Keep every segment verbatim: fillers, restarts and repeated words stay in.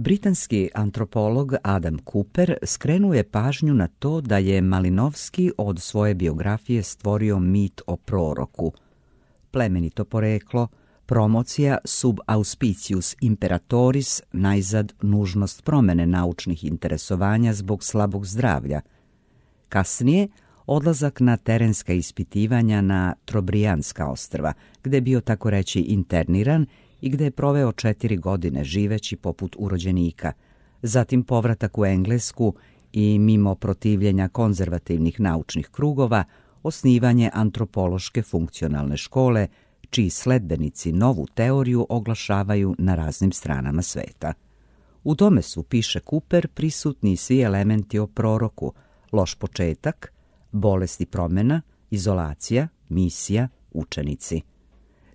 Britanski antropolog Adam Cooper skrenuo je pažnju na to da je Malinowski od svoje biografije stvorio mit o proroku. Plemenito poreklo, promocija sub auspicius imperatoris, najzad nužnost promene naučnih interesovanja zbog slabog zdravlja. Kasnije, odlazak na terenska ispitivanja na Trobrijanska ostrva, gde je bio tako reći interniran i gde je proveo četiri godine živeći poput urođenika, zatim povratak u Englesku i mimo protivljenja konzervativnih naučnih krugova, osnivanje antropološke funkcionalne škole, čiji sledbenici novu teoriju oglašavaju na raznim stranama sveta. U tome su, piše Cooper, prisutni svi elementi o proroku, loš početak, bolest i promjena, izolacija, misija, učenici.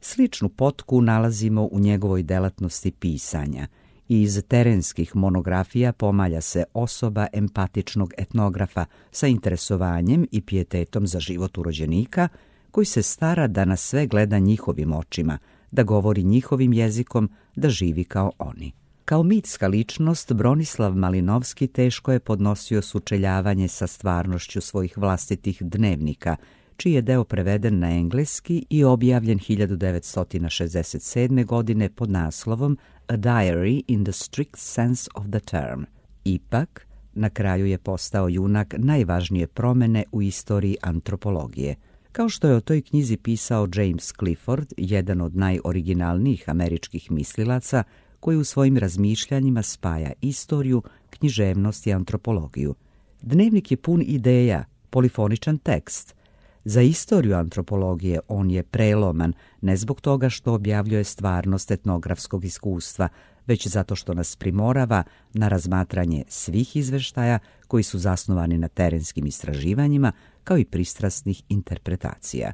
Sličnu potku nalazimo u njegovoj delatnosti pisanja i iz terenskih monografija pomalja se osoba empatičnog etnografa sa interesovanjem i pijetetom za život urođenika, koji se stara da na sve gleda njihovim očima, da govori njihovim jezikom, da živi kao oni. Kao mitska ličnost, Bronislav Malinowski teško je podnosio sučeljavanje sa stvarnošću svojih vlastitih dnevnika, čiji je deo preveden na engleski i objavljen hiljadu devetsto šezdeset sedme. godine pod naslovom A Diary in the Strict Sense of the Term. Ipak, na kraju je postao junak najvažnije promene u istoriji antropologije. Kao što je o toj knjizi pisao James Clifford, jedan od najoriginalnijih američkih mislilaca, koji u svojim razmišljanjima spaja istoriju, književnost i antropologiju. Dnevnik je pun ideja, polifoničan tekst. Za istoriju antropologije on je preloman, ne zbog toga što objavljuje stvarnost etnografskog iskustva, već zato što nas primorava na razmatranje svih izveštaja koji su zasnovani na terenskim istraživanjima, kao i pristrasnih interpretacija.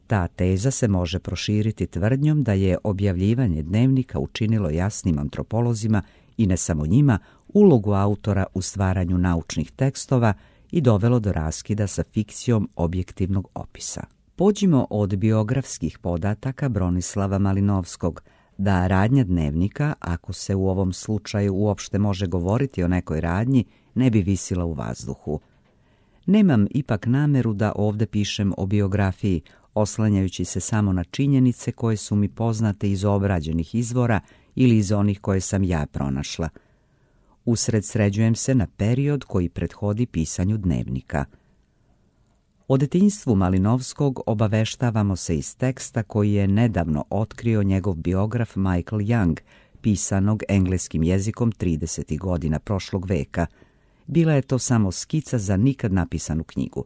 Ta teza se može proširiti tvrdnjom da je objavljivanje dnevnika učinilo jasnim antropolozima i ne samo njima ulogu autora u stvaranju naučnih tekstova i dovelo do raskida sa fikcijom objektivnog opisa. Pođimo od biografskih podataka Bronislava Malinowskog, da radnja dnevnika, ako se u ovom slučaju uopšte može govoriti o nekoj radnji, ne bi visila u vazduhu. Nemam ipak nameru da ovde pišem o biografiji, oslanjajući se samo na činjenice koje su mi poznate iz obrađenih izvora ili iz onih koje sam ja pronašla. Usredsređujem se na period koji prethodi pisanju dnevnika. O detinjstvu Malinowskog obaveštavamo se iz teksta koji je nedavno otkrio njegov biograf Michael Young, pisanog engleskim jezikom tridesetih godina prošlog veka. Bila je to samo skica za nikad napisanu knjigu.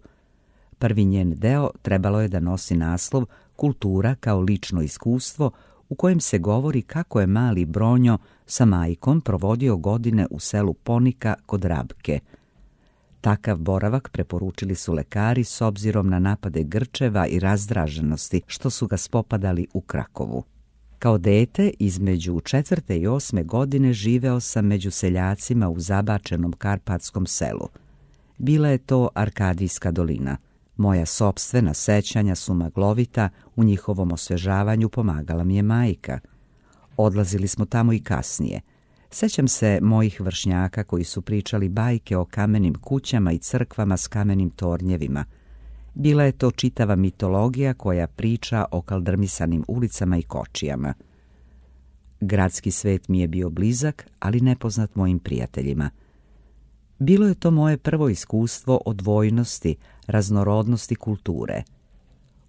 Prvi njen deo trebalo je da nosi naslov Kultura kao lično iskustvo, u kojem se govori kako je mali Bronjo sa majkom provodio godine u selu Ponika kod Rabke. Takav boravak preporučili su lekari s obzirom na napade grčeva i razdraženosti što su ga spopadali u Krakovu. Kao dete, između četvrte i osme godine živeo sam među seljacima u zabačenom karpatskom selu. Bila je to Arkadijska dolina. Moja sopstvena sećanja su maglovita, u njihovom osvežavanju pomagala mi je majka. Odlazili smo tamo i kasnije. Sećam se mojih vršnjaka koji su pričali bajke o kamenim kućama i crkvama s kamenim tornjevima. Bila je to čitava mitologija koja priča o kaldrmisanim ulicama i kočijama. Gradski svet mi je bio blizak, ali nepoznat mojim prijateljima. Bilo je to moje prvo iskustvo odvojnosti, raznorodnosti kulture.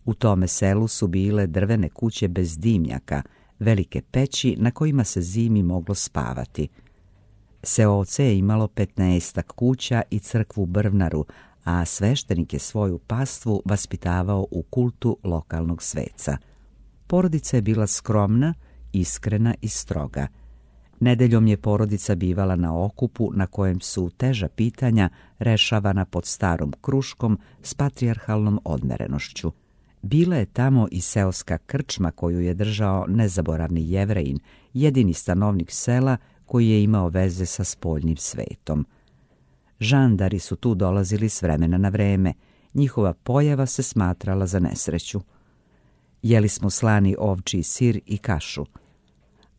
U tome selu su bile drvene kuće bez dimnjaka, velike peći na kojima se zimi moglo spavati. Seoce je imalo petnaestak kuća i crkvu Brvnaru, a sveštenik je svoju pastvu vaspitavao u kultu lokalnog sveca. Porodica je bila skromna, iskrena i stroga. Nedeljom je porodica bivala na okupu na kojem su teža pitanja rešavana pod starom kruškom s patrijarhalnom odmerenošću. Bila je tamo i seoska krčma koju je držao nezaboravni Jevrejin, jedini stanovnik sela koji je imao veze sa spoljnim svetom. Žandari su tu dolazili s vremena na vreme, njihova pojava se smatrala za nesreću. Jeli smo slani ovčji sir i kašu.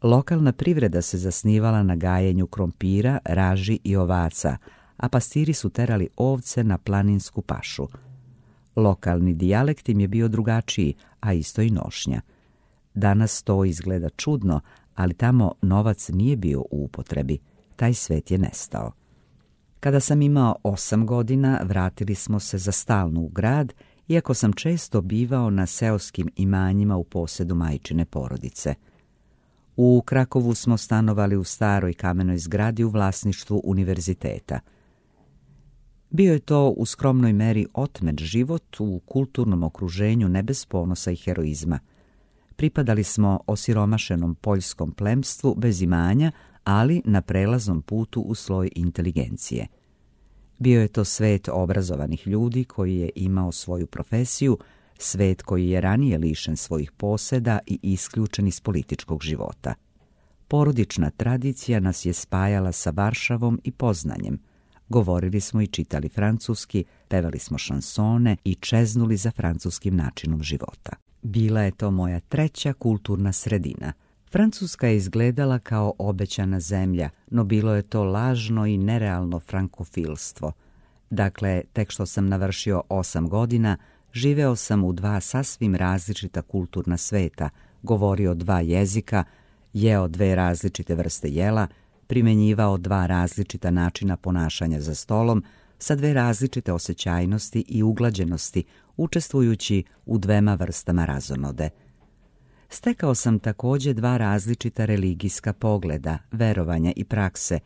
Lokalna privreda se zasnivala na gajenju krompira, raži i ovaca, a pastiri su terali ovce na planinsku pašu. Lokalni dijalekt im je bio drugačiji, a isto i nošnja. Danas to izgleda čudno, ali tamo novac nije bio u upotrebi. Taj svet je nestao. Kada sam imao osam godina, vratili smo se za stalno u grad, iako sam često bivao na seoskim imanjima u posedu majčine porodice. U Krakovu smo stanovali u staroj kamenoj zgradi u vlasništvu univerziteta. Bio je to u skromnoj meri otmet život u kulturnom okruženju ne bez ponosa i heroizma. Pripadali smo osiromašenom poljskom plemstvu bez imanja, ali na prelaznom putu u sloj inteligencije. Bio je to svet obrazovanih ljudi koji je imao svoju profesiju, svet koji je ranije lišen svojih poseda i isključen iz političkog života. Porodična tradicija nas je spajala sa Varšavom i Poznanjem. Govorili smo i čitali francuski, pevali smo šansone i čeznuli za francuskim načinom života. Bila je to moja treća kulturna sredina. Francuska je izgledala kao obećana zemlja, no bilo je to lažno i nerealno frankofilstvo. Dakle, tek što sam navršio osam godina, živeo sam u dva sasvim različita kulturna sveta, govorio dva jezika, jeo dve različite vrste jela, primenjivao dva različita načina ponašanja za stolom, sa dve različite osjećajnosti i uglađenosti, učestvujući u dvema vrstama razonode. Stekao sam također dva različita religijska pogleda, verovanja i prakse,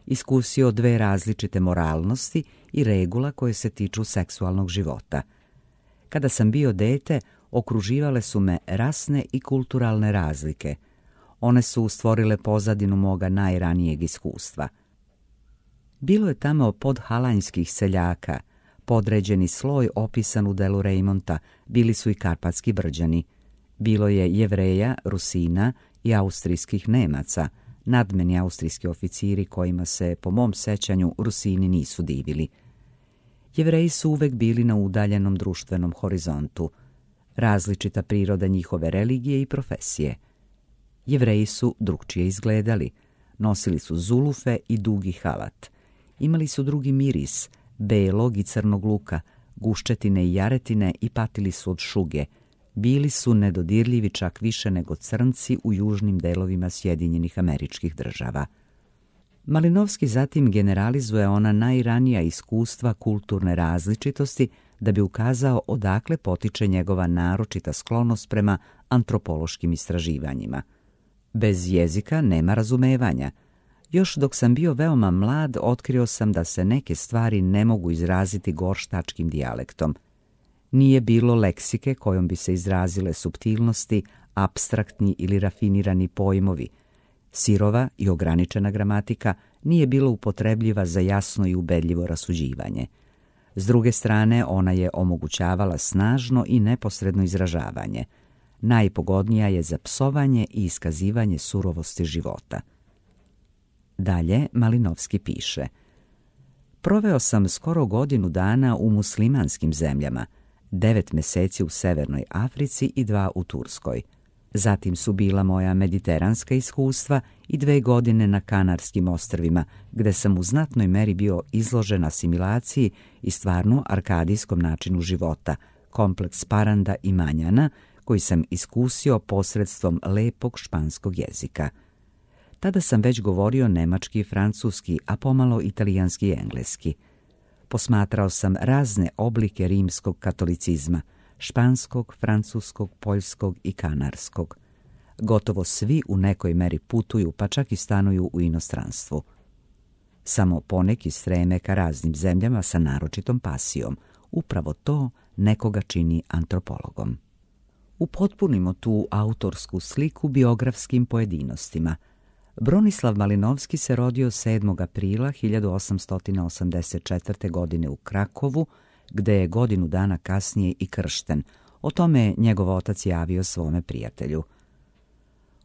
iskusio dve različite moralnosti i regula koje se tiču seksualnog života. Kada sam bio dete, okruživale su me rasne i kulturalne razlike. One su stvorile pozadinu moga najranijeg iskustva. Bilo je tamo podhalanjskih seljaka, podređeni sloj opisan u delu Rejmonta, bili su i karpatski Brđani. Bilo je Jevreja, Rusina i austrijskih Nemaca, nadmeni austrijski oficiri kojima se, po mom sećanju, Rusini nisu divili. Jevreji su uvek bili na udaljenom društvenom horizontu, različita priroda njihove religije i profesije. Jevreji su drugčije izgledali, nosili su zulufe i dugi halat. Imali su drugi miris, belog i crnog luka, guščetine i jaretine i patili su od šuge. Bili su nedodirljivi čak više nego crnci u južnim delovima Sjedinjenih Američkih Država. Malinovski zatim generalizuje ona najranija iskustva kulturne različitosti da bi ukazao odakle potiče njegova naročita sklonost prema antropološkim istraživanjima. Bez jezika nema razumevanja. Još dok sam bio veoma mlad, otkrio sam da se neke stvari ne mogu izraziti gorštačkim dijalektom. Nije bilo leksike kojom bi se izrazile suptilnosti, apstraktni ili rafinirani pojmovi. Sirova i ograničena gramatika nije bila upotrebljiva za jasno i ubedljivo rasuđivanje. S druge strane, ona je omogućavala snažno i neposredno izražavanje. Najpogodnija je za psovanje i iskazivanje surovosti života. Dalje Malinovski piše: Proveo sam skoro godinu dana u muslimanskim zemljama, devet meseci u Severnoj Africi i dva u Turskoj. Zatim su bila moja mediteranska iskustva i dve godine na Kanarskim ostrvima, gde sam u znatnoj meri bio izložen asimilaciji i stvarno arkadijskom načinu života, kompleks paranda i manjana, koji sam iskusio posredstvom lepog španskog jezika. Tada sam već govorio nemački i francuski, a pomalo italijanski i engleski. Posmatrao sam razne oblike rimskog katolicizma, španskog, francuskog, poljskog i kanarskog. Gotovo svi u nekoj meri putuju, pa čak i stanuju u inostranstvu. Samo poneki streme ka raznim zemljama sa naročitom pasijom. Upravo to nekoga čini antropologom. Upotpunimo tu autorsku sliku biografskim pojedinostima. Bronislav Malinovski se rodio sedmog aprila hiljadu osamsto osamdeset četvrte. godine u Krakovu, gde je godinu dana kasnije i kršten. O tome je njegov otac javio svome prijatelju.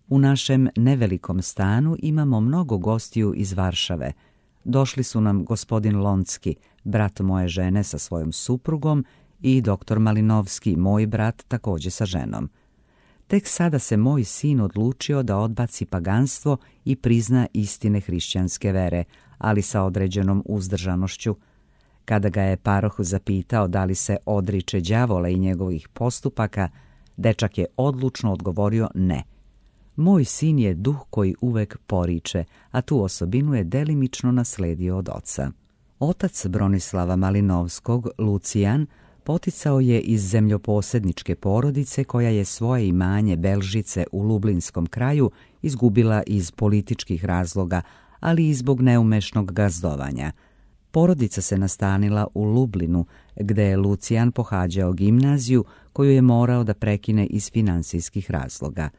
U našem nevelikom stanu imamo mnogo gostiju iz Varšave. Došli su nam gospodin Loncki, brat moje žene sa svojom suprugom, i doktor Malinovski, moj brat, također sa ženom. Tek sada se moj sin odlučio da odbaci paganstvo i prizna istine hrišćanske vere, ali sa određenom uzdržanošću. Kada ga je paroh zapitao da li se odriče đavola i njegovih postupaka, dečak je odlučno odgovorio ne. Moj sin je duh koji uvek poriče, a tu osobinu je delimično nasledio od oca. Otac Bronislava Malinovskog, Lucijan, poticao je iz zemljoposedničke porodice koja je svoje imanje Belžice u Lublinskom kraju izgubila iz političkih razloga, ali i zbog neumešnog gazdovanja. Porodica se nastanila u Lublinu, gde je Lucijan pohađao gimnaziju koju je morao da prekine iz finansijskih razloga.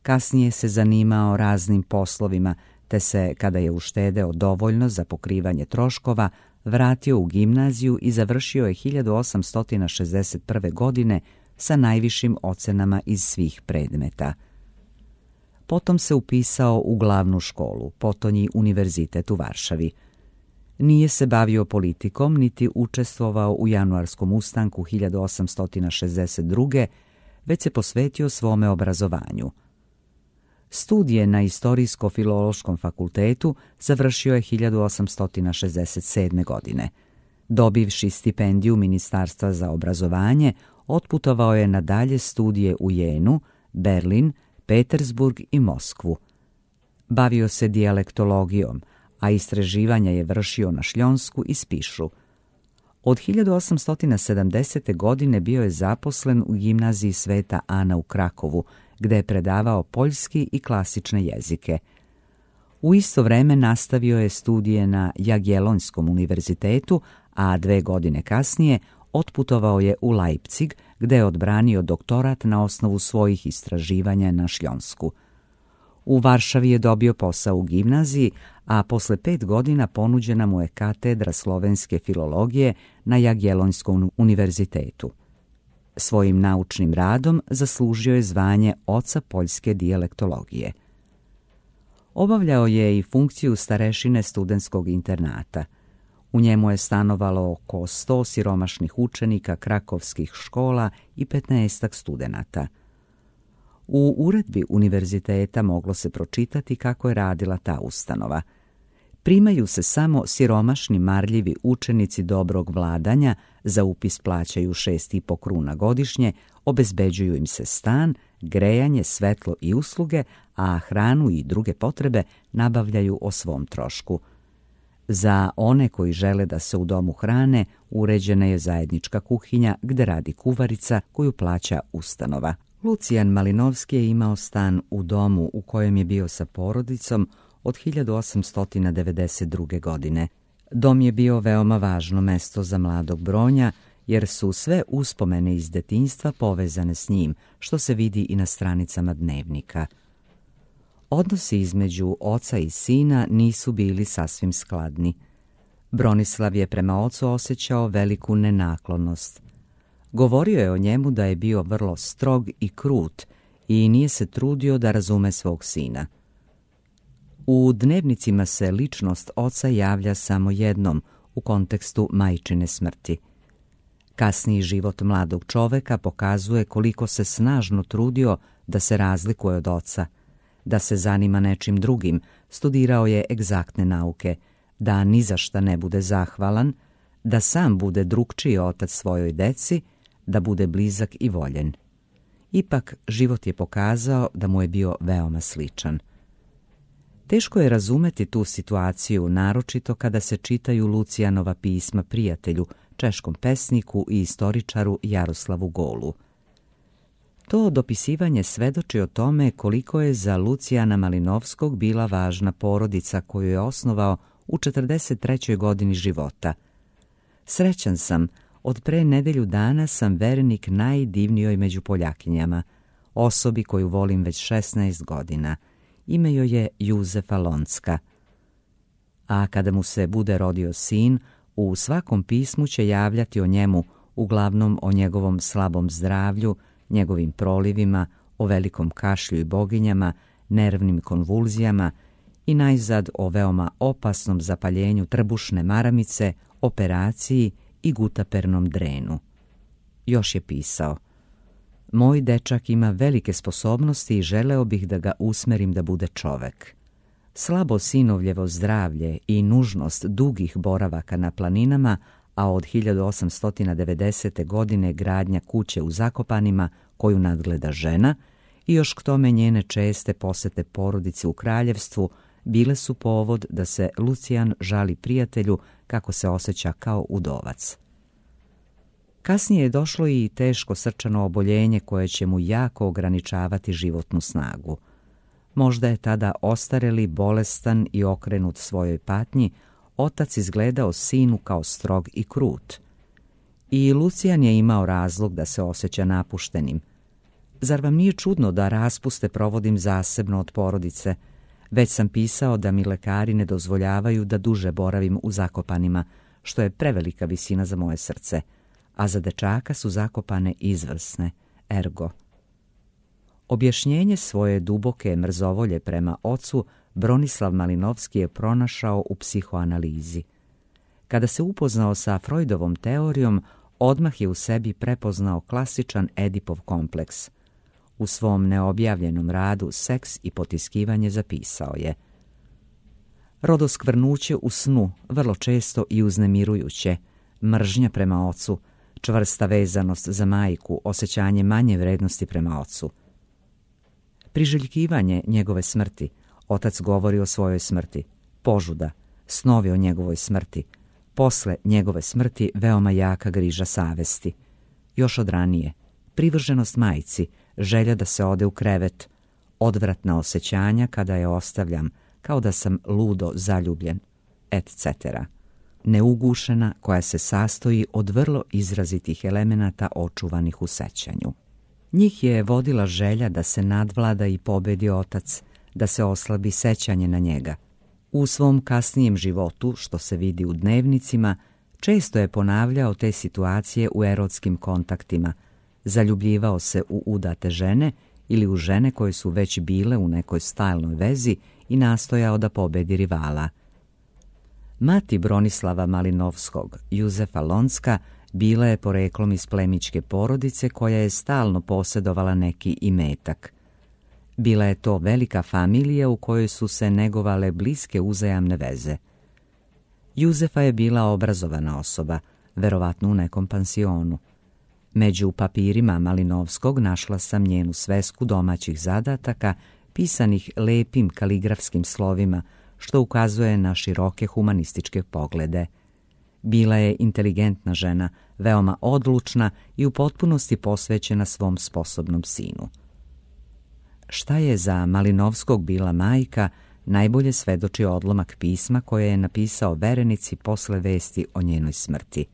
Kasnije se zanimao raznim poslovima, te se, kada je uštedeo dovoljno za pokrivanje troškova, vratio u gimnaziju i završio je hiljadu osamsto šezdeset prve. godine sa najvišim ocenama iz svih predmeta. Potom se upisao u glavnu školu, potonji univerzitet u Varšavi. Nije se bavio politikom, niti učestvovao u januarskom ustanku hiljadu osamsto šezdeset druge. već se posvetio svome obrazovanju. Studije na Istorijsko-filološkom fakultetu završio je hiljadu osamsto šezdeset sedme. godine. Dobivši stipendiju Ministarstva za obrazovanje, otputovao je na dalje studije u Jenu, Berlin, Petersburg i Moskvu. Bavio se dijalektologijom, a istraživanja je vršio na Šljonsku i Spišu. Od hiljadu osamsto sedamdesete. godine bio je zaposlen u gimnaziji Sveta Ana u Krakovu, gde je predavao poljski i klasične jezike. U isto vreme nastavio je studije na Jagiellonskom univerzitetu, a dve godine kasnije otputovao je u Leipzig, gde je odbranio doktorat na osnovu svojih istraživanja na Šljonsku. U Varšavi je dobio posao u gimnaziji, a posle pet godina ponuđena mu je katedra slovenske filologije na Jagiellonskom univerzitetu. Svojim naučnim radom zaslužio je zvanje oca poljske dijalektologije. Obavljao je i funkciju starešine studentskog internata. U njemu je stanovalo oko sto siromašnih učenika krakovskih škola i petnaestak studenata. U uredbi univerziteta moglo se pročitati kako je radila ta ustanova. Primaju se samo siromašni marljivi učenici dobrog vladanja, za upis plaćaju šest i po kruna godišnje, obezbeđuju im se stan, grejanje, svetlo i usluge, a hranu i druge potrebe nabavljaju o svom trošku. Za one koji žele da se u domu hrane, uređena je zajednička kuhinja gde radi kuvarica koju plaća ustanova. Lucijan Malinovski je imao stan u domu u kojem je bio sa porodicom od hiljadu osamsto devedeset druge. godine. Dom je bio veoma važno mesto za mladog Bronja, jer su sve uspomene iz detinjstva povezane s njim, što se vidi i na stranicama dnevnika. Odnosi između oca i sina nisu bili sasvim skladni. Bronislav je prema ocu osjećao veliku nenaklonost. Govorio je o njemu da je bio vrlo strog i krut i nije se trudio da razume svog sina. U dnevnicima se ličnost oca javlja samo jednom, u kontekstu majčine smrti. Kasniji život mladog čoveka pokazuje koliko se snažno trudio da se razlikuje od oca, da se zanima nečim drugim, studirao je egzaktne nauke, da ni za šta ne bude zahvalan, da sam bude drugčiji otac svojoj deci, da bude blizak i voljen. Ipak, život je pokazao da mu je bio veoma sličan. Teško je razumeti tu situaciju, naročito kada se čitaju Lucijanova pisma prijatelju, češkom pesniku i istoričaru Jaroslavu Golu. To dopisivanje svedoči o tome koliko je za Lucijana Malinovskog bila važna porodica koju je osnovao u četrdeset trećoj godini života. Srećan sam, od pre nedelju dana sam verenik najdivnijoj među Poljakinjama, osobi koju volim već šesnaest godina. Ime joj je Juzefa Lonska. A kada mu se bude rodio sin, u svakom pismu će javljati o njemu, uglavnom o njegovom slabom zdravlju, njegovim prolivima, o velikom kašlju i boginjama, nervnim konvulzijama i najzad o veoma opasnom zapaljenju trbušne maramice, operaciji i gutapernom drenu. Još je pisao: Moj dečak ima velike sposobnosti i želeo bih da ga usmerim da bude čovek. Slabo sinovljevo zdravlje i nužnost dugih boravaka na planinama, a od hiljadu osamsto devedesete. godine gradnja kuće u Zakopanima koju nadgleda žena i još k tome njene česte posete porodice u kraljevstvu bile su povod da se Lucijan žali prijatelju kako se osjeća kao udovac. Kasnije je došlo i teško srčano oboljenje koje će mu jako ograničavati životnu snagu. Možda je tada ostareli, bolestan i okrenut svojoj patnji, otac izgledao sinu kao strog i krut. I Lucijan je imao razlog da se osjeća napuštenim. Zar vam nije čudno da raspuste provodim zasebno od porodice? Već sam pisao da mi lekari ne dozvoljavaju da duže boravim u Zakopanima, što je prevelika visina za moje srce, a za dečaka su Zakopane izvrsne, ergo. Objašnjenje svoje duboke mrzovolje prema ocu Bronislav Malinovski je pronašao u psihoanalizi. Kada se upoznao sa Freudovom teorijom, odmah je u sebi prepoznao klasičan Edipov kompleks. U svom neobjavljenom radu Seks i potiskivanje zapisao je: rodoskvrnuće u snu, vrlo često i uznemirujuće, mržnja prema ocu, čvrsta vezanost za majku, osjećanje manje vrednosti prema ocu. Priželjkivanje njegove smrti, otac govori o svojoj smrti, požuda, snovi o njegovoj smrti, posle njegove smrti veoma jaka griža savesti. Još od ranije, privrženost majci, želja da se ode u krevet, odvratna osjećanja kada je ostavljam, kao da sam ludo zaljubljen, et cetera. Neugušena koja se sastoji od vrlo izrazitih elemenata očuvanih u sećanju. Njih je vodila želja da se nadvlada i pobedi otac, da se oslabi sećanje na njega. U svom kasnijem životu, što se vidi u dnevnicima, često je ponavljao te situacije u erotskim kontaktima, zaljubljivao se u udate žene ili u žene koje su već bile u nekoj stalnoj vezi i nastojao da pobedi rivala. Mati Bronislava Malinovskog, Juzefa Lonska, bila je poreklom iz plemićke porodice koja je stalno posjedovala neki imetak. Bila je to velika familija u kojoj su se negovale bliske uzajamne veze. Juzefa je bila obrazovana osoba, verovatno u nekom pansionu. Među papirima Malinovskog našla sam njenu svesku domaćih zadataka, pisanih lepim kaligrafskim slovima, što ukazuje na široke humanističke poglede. Bila je inteligentna žena, veoma odlučna i u potpunosti posvećena svom sposobnom sinu. Šta je za Malinovskog bila majka, najbolje svedoči odlomak pisma koje je napisao verenici posle vesti o njenoj smrti.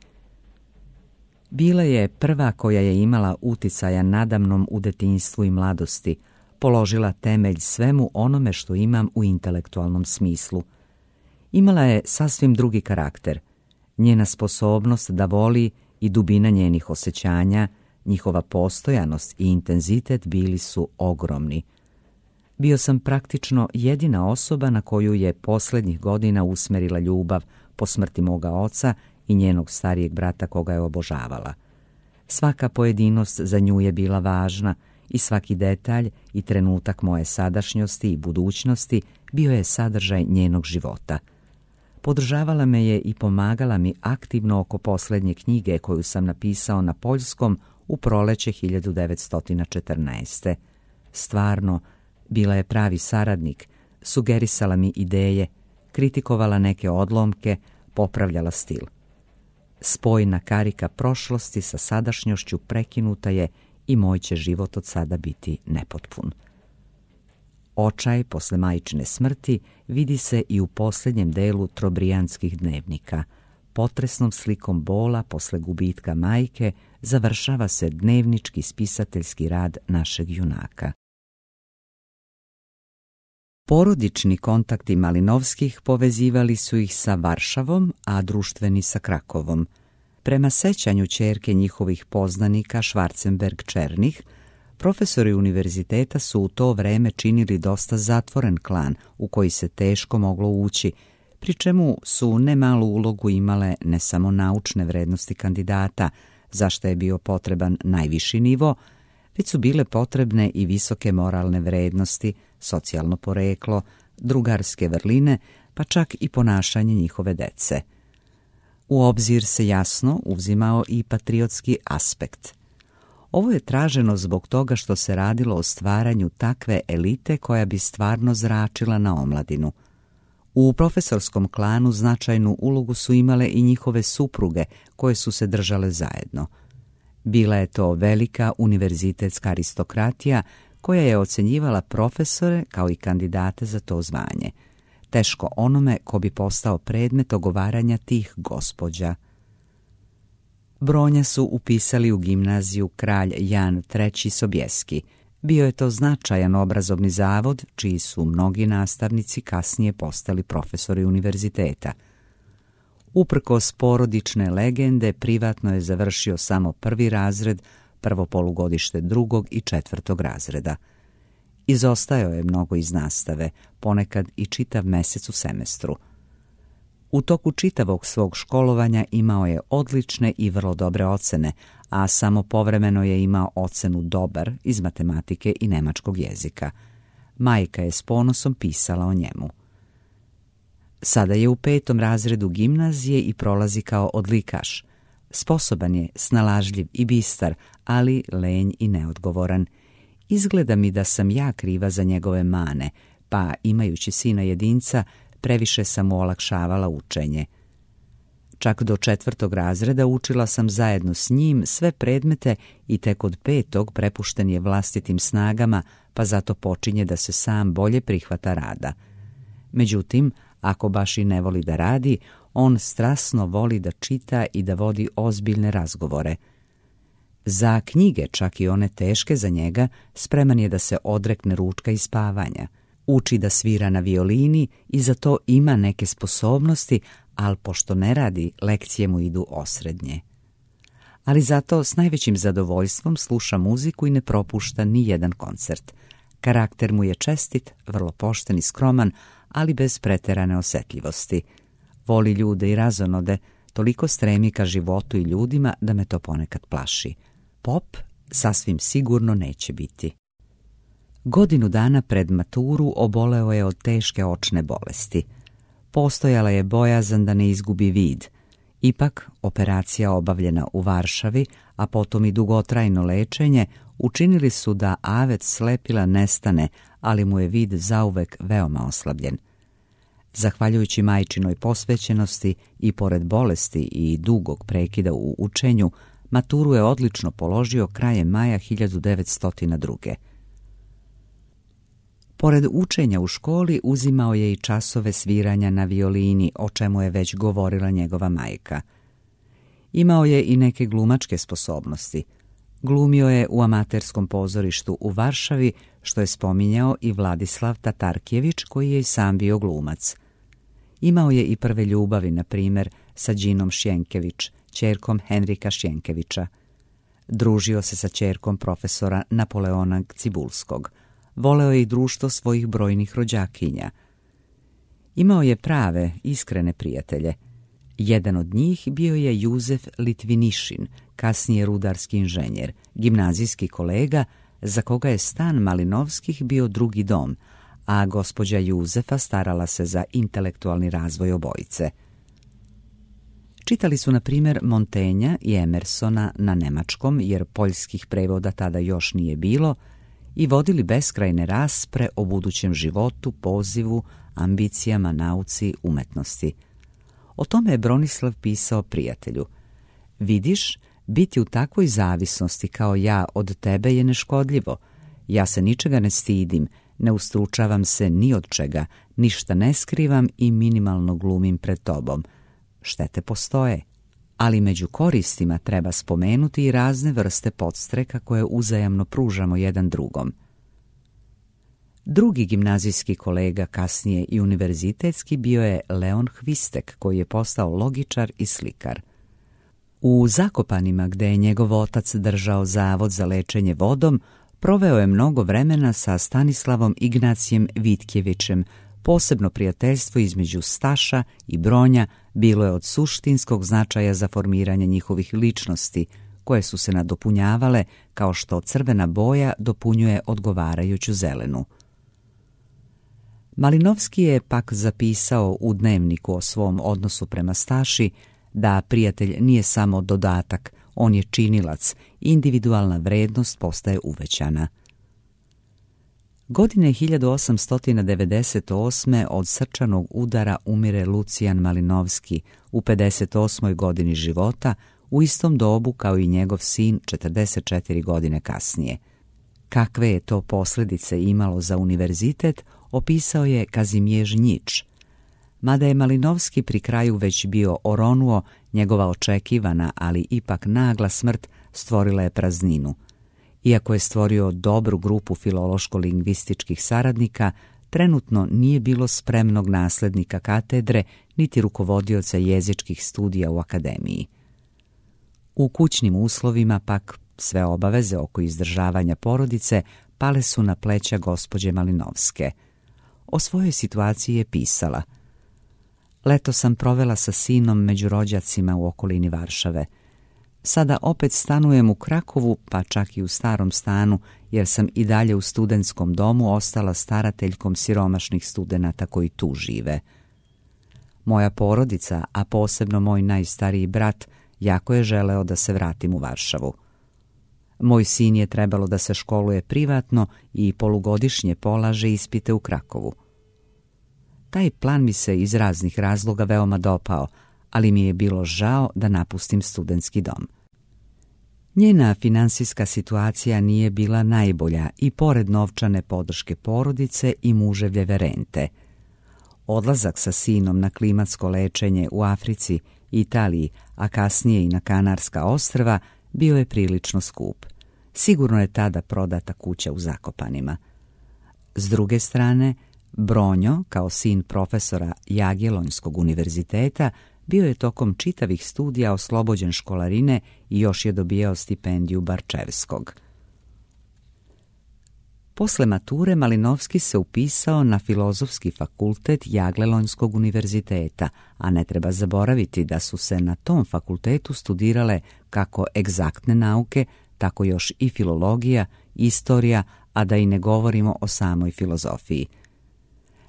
Bila je prva koja je imala uticaja nadamnom u detinjstvu i mladosti, položila temelj svemu onome što imam u intelektualnom smislu. Imala je sasvim drugi karakter. Njena sposobnost da voli i dubina njenih osjećanja, njihova postojanost i intenzitet bili su ogromni. Bio sam praktično jedina osoba na koju je posljednjih godina usmerila ljubav po smrti moga oca i njenog starijeg brata koga je obožavala. Svaka pojedinost za nju je bila važna i svaki detalj i trenutak moje sadašnjosti i budućnosti bio je sadržaj njenog života. Podržavala me je i pomagala mi aktivno oko posljednje knjige koju sam napisao na poljskom u proleće hiljadu devetsto četrnaeste. Stvarno, bila je pravi saradnik, sugerisala mi ideje, kritikovala neke odlomke, popravljala stil. Spojna karika prošlosti sa sadašnjošću prekinuta je i moj će život od sada biti nepotpun. Očaj posle majčine smrti vidi se i u posljednjem delu Trobrijanskih dnevnika. Potresnom slikom bola posle gubitka majke završava se dnevnički spisateljski rad našeg junaka. Porodični kontakti Malinovskih povezivali su ih sa Varšavom, a društveni sa Krakovom. Prema sećanju ćerke njihovih poznanika Schwarzenberg-Černih, profesori univerziteta su u to vreme činili dosta zatvoren klan u koji se teško moglo ući, pri čemu su nemalu ulogu imale ne samo naučne vrednosti kandidata, za što je bio potreban najviši nivo, već su bile potrebne i visoke moralne vrednosti, socijalno poreklo, drugarske vrline, pa čak i ponašanje njihove dece. U obzir se jasno uzimao i patriotski aspekt. Ovo je traženo zbog toga što se radilo o stvaranju takve elite koja bi stvarno zračila na omladinu. U profesorskom klanu značajnu ulogu su imale i njihove supruge koje su se držale zajedno. Bila je to velika univerzitetska aristokratija koja je ocjenjivala profesore kao i kandidate za to zvanje. Teško onome ko bi postao predmet ogovaranja tih gospođa. Bronja su upisali u gimnaziju Kralj Jan treći Sobieski. Bio je to značajan obrazovni zavod, čiji su mnogi nastavnici kasnije postali profesori univerziteta. Uprkos porodične legende, privatno je završio samo prvi razred, prvo polugodište drugog i četvrtog razreda. Izostajao je mnogo iz nastave, ponekad i čitav mesec u semestru. U toku čitavog svog školovanja imao je odlične i vrlo dobre ocene, a samo povremeno je imao ocenu dobar iz matematike i nemačkog jezika. Majka je s ponosom pisala o njemu. Sada je u petom razredu gimnazije i prolazi kao odlikaš. Sposoban je, snalažljiv i bistar, ali lenj i neodgovoran. Izgleda mi da sam ja kriva za njegove mane, pa imajući sina jedinca, previše sam mu olakšavala učenje. Čak do četvrtog razreda učila sam zajedno s njim sve predmete i tek od petog prepušten je vlastitim snagama, pa zato počinje da se sam bolje prihvata rada. Međutim, ako baš i ne voli da radi, on strasno voli da čita i da vodi ozbiljne razgovore. Za knjige, čak i one teške za njega, spreman je da se odrekne ručka i spavanja. Uči da svira na violini i za to ima neke sposobnosti, ali pošto ne radi, lekcije mu idu osrednje. Ali zato s najvećim zadovoljstvom sluša muziku i ne propušta ni jedan koncert. Karakter mu je čestit, vrlo pošten i skroman, ali bez preterane osjetljivosti. Voli ljude i razonode, toliko stremi ka životu i ljudima da me to ponekad plaši. Pop sasvim sigurno neće biti. Godinu dana pred maturu oboleo je od teške očne bolesti. Postojala je bojazan da ne izgubi vid. Ipak, operacija obavljena u Varšavi, a potom i dugotrajno lečenje, učinili su da avet slepila nestane, ali mu je vid zauvek veoma oslabljen. Zahvaljujući majčinoj posvećenosti i pored bolesti i dugog prekida u učenju, maturu je odlično položio krajem maja hiljadu devetsto druge. Pored učenja u školi uzimao je i časove sviranja na violini, o čemu je već govorila njegova majka. Imao je i neke glumačke sposobnosti. Glumio je u amaterskom pozorištu u Varšavi, što je spominjao i Vladislav Tatarkjević, koji je i sam bio glumac. Imao je i prve ljubavi, na primjer, sa Đinom Šjenkević, ćerkom Henrika Šjenkevića. Družio se sa ćerkom profesora Napoleona Cibulskog. Voleo je i društvo svojih brojnih rođakinja. Imao je prave, iskrene prijatelje. Jedan od njih bio je Juzef Litvinišin, kasnije rudarski inženjer, gimnazijski kolega, za koga je stan Malinovskih bio drugi dom, a gospođa Juzefa starala se za intelektualni razvoj obojice. Čitali su, na primjer, Montenja i Emersona na nemačkom, jer poljskih prevoda tada još nije bilo, i vodili beskrajne raspre o budućem životu, pozivu, ambicijama, nauci, umetnosti. O tome je Bronislav pisao prijatelju. Vidiš, biti u takvoj zavisnosti kao ja od tebe je neškodljivo. Ja se ničega ne stidim, ne ustručavam se ni od čega, ništa ne skrivam i minimalno glumim pred tobom. Štete postoje, ali među koristima treba spomenuti i razne vrste podstreka koje uzajamno pružamo jedan drugom. Drugi gimnazijski kolega, kasnije i univerzitetski, bio je Leon Hvistek, koji je postao logičar i slikar. U Zakopanima, gde je njegov otac držao zavod za lečenje vodom, proveo je mnogo vremena sa Stanislavom Ignacijem Vitkjevićem. Posebno prijateljstvo između Staša i Bronja bilo je od suštinskog značaja za formiranje njihovih ličnosti, koje su se nadopunjavale kao što crvena boja dopunjuje odgovarajuću zelenu. Malinovski je pak zapisao u dnevniku o svom odnosu prema Staši da prijatelj nije samo dodatak, on je činilac, individualna vrednost postaje uvećana. Godine hiljadu osamsto devedeset osme od srčanog udara umire Lucijan Malinovski u pedeset osmoj godini života, u istom dobu kao i njegov sin četrdeset četiri godine kasnije. Kakve je to posljedice imalo za univerzitet, opisao je Kazimierz Njić. Mada je Malinovski pri kraju već bio oronuo, njegova očekivana, ali ipak nagla smrt stvorila je prazninu. Iako je stvorio dobru grupu filološko-lingvističkih saradnika, trenutno nije bilo spremnog naslednika katedre niti rukovodioca jezičkih studija u akademiji. U kućnim uslovima pak sve obaveze oko izdržavanja porodice pale su na pleća gospođe Malinovske. O svojoj situaciji je pisala: Leto sam provela sa sinom među rođacima u okolini Varšave. Sada opet stanujem u Krakovu, pa čak i u starom stanu, jer sam i dalje u studentskom domu ostala starateljkom siromašnih studenata koji tu žive. Moja porodica, a posebno moj najstariji brat, jako je želeo da se vratim u Varšavu. Moj sin je trebalo da se školuje privatno i polugodišnje polaže ispite u Krakovu. Taj plan mi se iz raznih razloga veoma dopao, ali mi je bilo žao da napustim studentski dom. Njena finansijska situacija nije bila najbolja i pored novčane podrške porodice i muževljeve rente. Odlazak sa sinom na klimatsko lečenje u Africi, Italiji, a kasnije i na Kanarska ostrva bio je prilično skup. Sigurno je tada prodata kuća u Zakopanima. S druge strane, Bronjo, kao sin profesora Jagiellonskog univerziteta, bio je tokom čitavih studija oslobođen školarine i još je dobijao stipendiju Barčevskog. Posle mature Malinovski se upisao na Filozofski fakultet Jagiellonskog univerziteta, a ne treba zaboraviti da su se na tom fakultetu studirale kako egzaktne nauke, tako još i filologija, istorija, a da i ne govorimo o samoj filozofiji.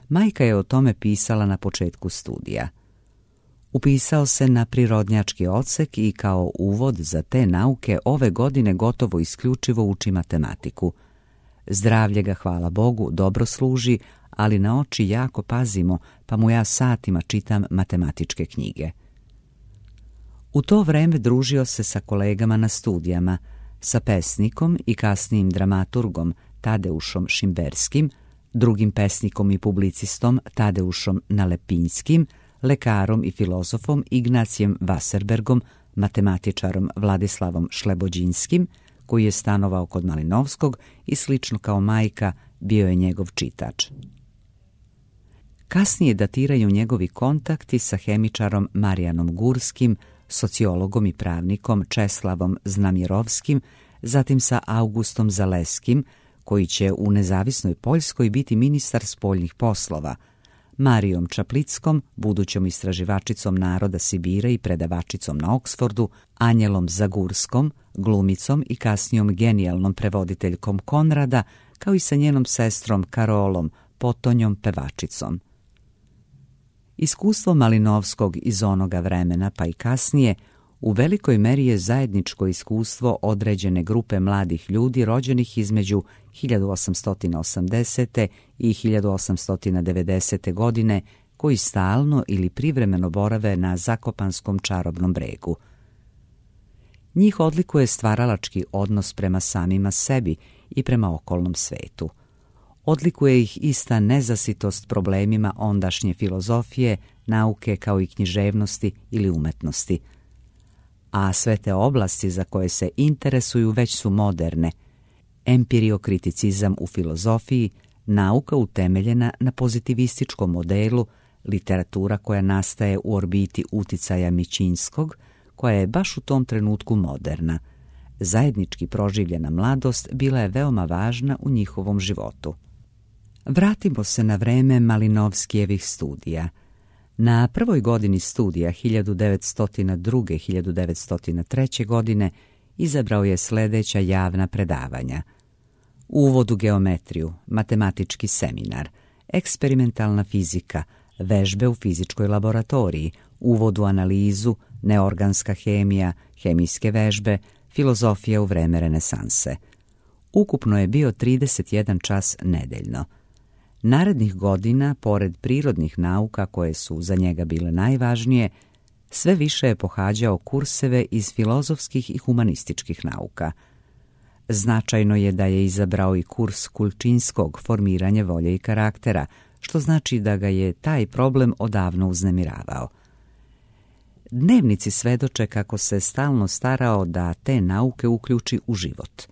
Majka je o tome pisala na početku studija. Upisao se na prirodnjački odsek i kao uvod za te nauke ove godine gotovo isključivo uči matematiku. Zdravlje ga, hvala Bogu, dobro služi, ali na oči jako pazimo, pa mu ja satima čitam matematičke knjige. U to vreme družio se sa kolegama na studijama, sa pesnikom i kasnijim dramaturgom Tadeušom Šimberskim, drugim pesnikom i publicistom Tadeušom Nalepinskim, lekarom i filozofom Ignacijem Wasserbergom, matematičarom Vladislavom Šlebođinskim, koji je stanovao kod Malinovskog i slično kao majka bio je njegov čitač. Kasnije datiraju njegovi kontakti sa hemičarom Marijanom Gurskim, sociologom i pravnikom Česlavom Znamjerovskim, zatim sa Augustom Zaleskim, koji će u nezavisnoj Poljskoj biti ministar spoljnih poslova, Marijom Čaplickom, budućom istraživačicom naroda Sibira i predavačicom na Oksfordu, Anjelom Zagurskom, glumicom i kasnijom genijalnom prevoditeljkom Konrada, kao i sa njenom sestrom Karolom, potonjom pevačicom. Iskustvo Malinovskog iz onoga vremena, pa i kasnije, u velikoj meri je zajedničko iskustvo određene grupe mladih ljudi rođenih između hiljadu osamsto osamdesete i hiljadu osamsto devedesete godine, koji stalno ili privremeno borave na Zakopanskom čarobnom bregu. Njih odlikuje stvaralački odnos prema samima sebi i prema okolnom svetu. Odlikuje ih ista nezasitost problemima ondašnje filozofije, nauke kao i književnosti ili umetnosti. A sve te oblasti za koje se interesuju već su moderne. Empiriokriticizam u filozofiji, nauka utemeljena na pozitivističkom modelu, literatura koja nastaje u orbiti uticaja Mićinskog, koja je baš u tom trenutku moderna. Zajednički proživljena mladost bila je veoma važna u njihovom životu. Vratimo se na vreme Malinovskijevih studija. Na prvoj godini studija hiljadu devetsto druge do hiljadu devetsto treće. godine izabrao je sljedeća javna predavanja: uvod u geometriju, matematički seminar, eksperimentalna fizika, vežbe u fizičkoj laboratoriji, uvod u analizu, neorganska hemija, hemijske vežbe, filozofija u vreme renesanse. Ukupno je bio trideset jedan čas nedeljno. Narednih godina, pored prirodnih nauka koje su za njega bile najvažnije, sve više je pohađao kurseve iz filozofskih i humanističkih nauka. Značajno je da je izabrao i kurs Kulčinskog, formiranje volje i karaktera, što znači da ga je taj problem odavno uznemiravao. Dnevnici svedoče kako se stalno starao da te nauke uključi u život.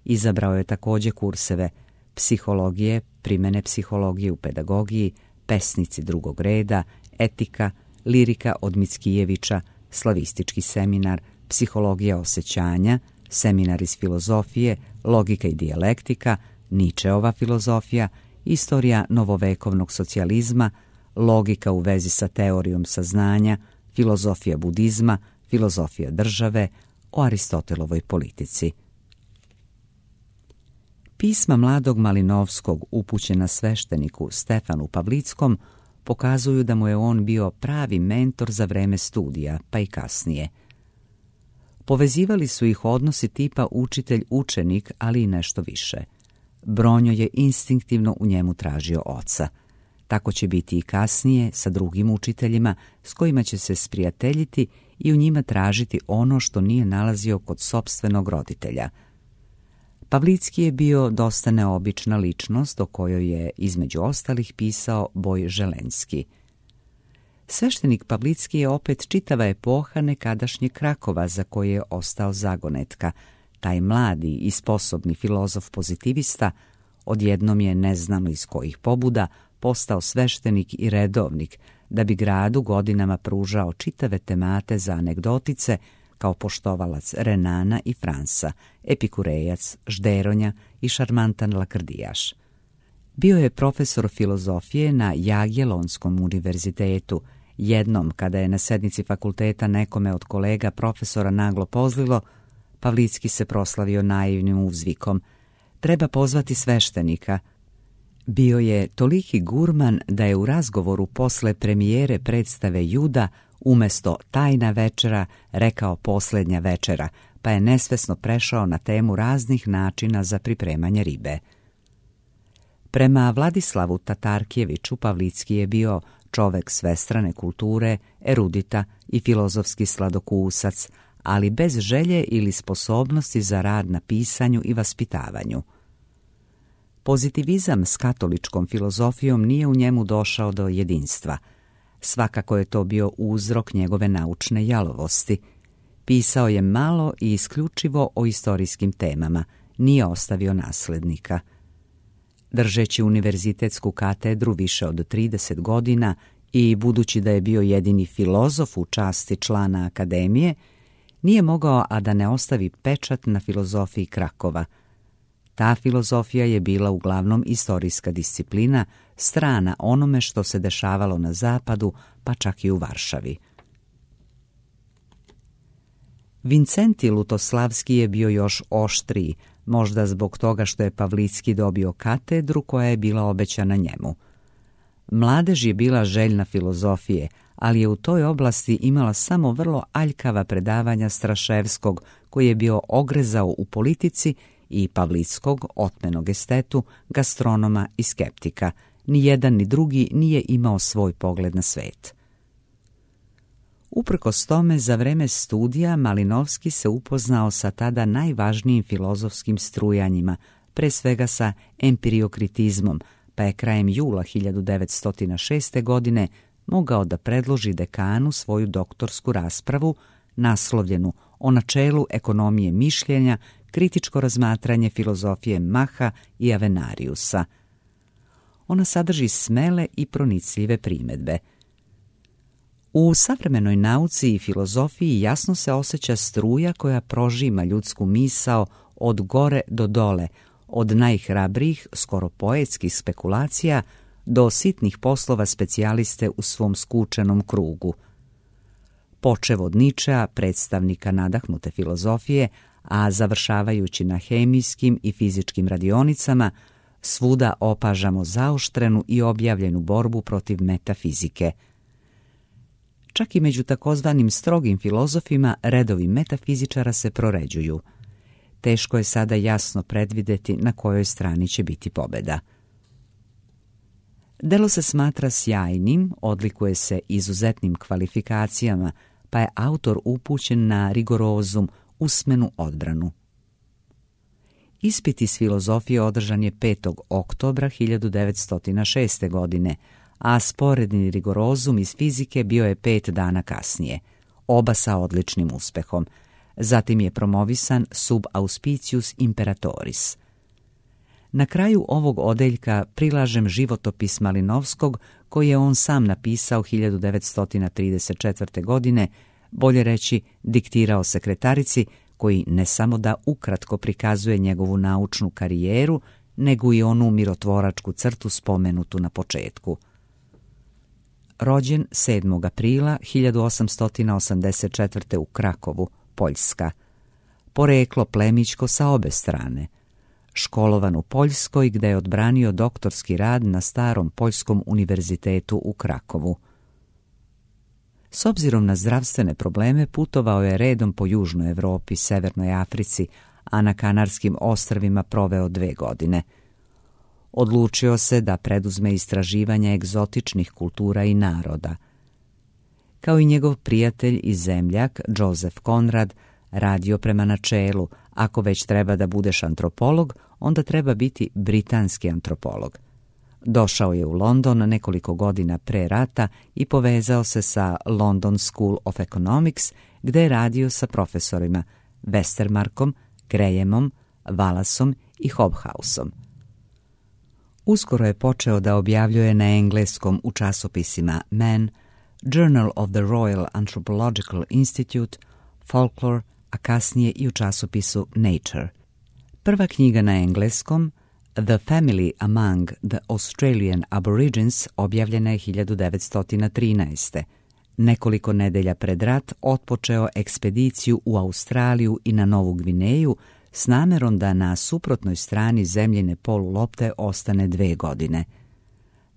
Izabrao je također kurseve psihologije, primjene psihologije u pedagogiji, pesnici drugog reda, etika, lirika od Mickijevića, slavistički seminar, psihologija osjećanja, seminar iz filozofije, logika i dijalektika, Ničeova filozofija, istorija novovekovnog socijalizma, logika u vezi sa teorijom saznanja, filozofija budizma, filozofija države, o Aristotelovoj politici. Pisma mladog Malinovskog upućena svešteniku Stefanu Pavlickom pokazuju da mu je on bio pravi mentor za vreme studija, pa i kasnije. Povezivali su ih odnosi tipa učitelj-učenik, ali i nešto više. Bronjo je instinktivno u njemu tražio oca. Tako će biti i kasnije sa drugim učiteljima s kojima će se sprijateljiti i u njima tražiti ono što nije nalazio kod sopstvenog roditelja. Pavlicki je bio dosta neobična ličnost o kojoj je između ostalih pisao Boj Želenski. Sveštenik Pavlicki je opet čitava epoha nekadašnje Krakova za koje je ostao zagonetka. Taj mladi i sposobni filozof pozitivista odjednom je, ne znamo iz kojih pobuda, postao sveštenik i redovnik, da bi gradu godinama pružao čitave temate za anegdotice kao poštovalac Renana i Fransa, epikurejac, žderonja i šarmantan lakrdijaš. Bio je profesor filozofije na Jagellonskom univerzitetu. Jednom, kada je na sednici fakulteta nekome od kolega profesora naglo pozlilo, Pavlicki se proslavio naivnim uzvikom: treba pozvati sveštenika. Bio je toliki gurman da je u razgovoru posle premijere predstave Juda umjesto tajna večera rekao posljednja večera, pa je nesvesno prešao na temu raznih načina za pripremanje ribe. Prema Vladislavu Tatarkijeviću, Pavlicki je bio čovek svestrane kulture, erudita i filozofski sladokusac, ali bez želje ili sposobnosti za rad na pisanju i vaspitavanju. Pozitivizam s katoličkom filozofijom nije u njemu došao do jedinstva. Svakako je to bio uzrok njegove naučne jalovosti. Pisao je malo i isključivo o istorijskim temama, nije ostavio naslednika. Držeći univerzitetsku katedru više od trideset godina i budući da je bio jedini filozof u časti člana akademije, nije mogao a da ne ostavi pečat na filozofiji Krakova. Ta filozofija je bila uglavnom istorijska disciplina, strana onome što se dešavalo na zapadu, pa čak i u Varšavi. Vincenti Lutoslavski je bio još oštriji, možda zbog toga što je Pavlicki dobio katedru koja je bila obećana njemu. Mladež je bila željna filozofije, ali je u toj oblasti imala samo vrlo aljkava predavanja Straševskog, koji je bio ogrezao u politici, i Pavlickog, otmenog estetu, gastronoma i skeptika. Ni jedan ni drugi nije imao svoj pogled na svet. Uprkos tome, za vreme studija Malinovski se upoznao sa tada najvažnijim filozofskim strujanjima, pre svega sa empiriokritizmom, pa je krajem jula hiljadu devetsto šeste. godine mogao da predloži dekanu svoju doktorsku raspravu naslovljenu o načelu ekonomije mišljenja, kritičko razmatranje filozofije Maha i Avenariusa. Ona sadrži smele i pronicljive primedbe. U savremenoj nauci i filozofiji jasno se osjeća struja koja prožima ljudsku misao od gore do dole, od najhrabrijih, skoro poetskih spekulacija do sitnih poslova specijaliste u svom skučenom krugu. Počev od Ničea, predstavnika nadahnute filozofije, a završavajući na hemijskim i fizičkim radionicama, svuda opažamo zaoštrenu i objavljenu borbu protiv metafizike. Čak i među takozvanim strogim filozofima redovi metafizičara se proređuju. Teško je sada jasno predvideti na kojoj strani će biti pobjeda. Delo se smatra sjajnim, odlikuje se izuzetnim kvalifikacijama, pa je autor upućen na rigorozum, usmenu odbranu. Ispit iz filozofije održan je petog oktobra hiljadu devetsto šeste. godine, a sporedni rigorozum iz fizike bio je pet dana kasnije, oba sa odličnim uspehom. Zatim je promovisan sub auspicius imperatoris. Na kraju ovog odeljka prilažem životopis Malinovskog, koji je on sam napisao hiljadu devetsto trideset četvrte. godine, bolje reći diktirao sekretarici, koji ne samo da ukratko prikazuje njegovu naučnu karijeru, nego i onu mirotvoračku crtu spomenutu na početku. Rođen sedmog aprila hiljadu osamsto osamdeset četvrte. u Krakovu, Poljska. Poreklo plemićko sa obe strane. Školovan u Poljskoj, gde je odbranio doktorski rad na Starom Poljskom univerzitetu u Krakovu. S obzirom na zdravstvene probleme putovao je redom po Južnoj Evropi, Severnoj Africi, a na Kanarskim ostrvima proveo dve godine. Odlučio se da preduzme istraživanje egzotičnih kultura i naroda. Kao i njegov prijatelj i zemljak, Joseph Conrad, radio prema načelu: ako već treba da budeš antropolog, onda treba biti britanski antropolog. Došao je u London nekoliko godina pre rata i povezao se sa London School of Economics, gde je radio sa profesorima Westermarkom, Grahamom, Wallaceom i Hobhouseom. Uskoro je počeo da objavljuje na engleskom u časopisima Man, Journal of the Royal Anthropological Institute, Folklore, a kasnije i u časopisu Nature. Prva knjiga na engleskom, The Family Among the Australian Aborigines, objavljena je hiljadu devetsto trinaeste. Nekoliko nedelja pred rat otpočeo ekspediciju u Australiju i na Novu Gvineju s namerom da na suprotnoj strani zemljine polulopte ostane dve godine.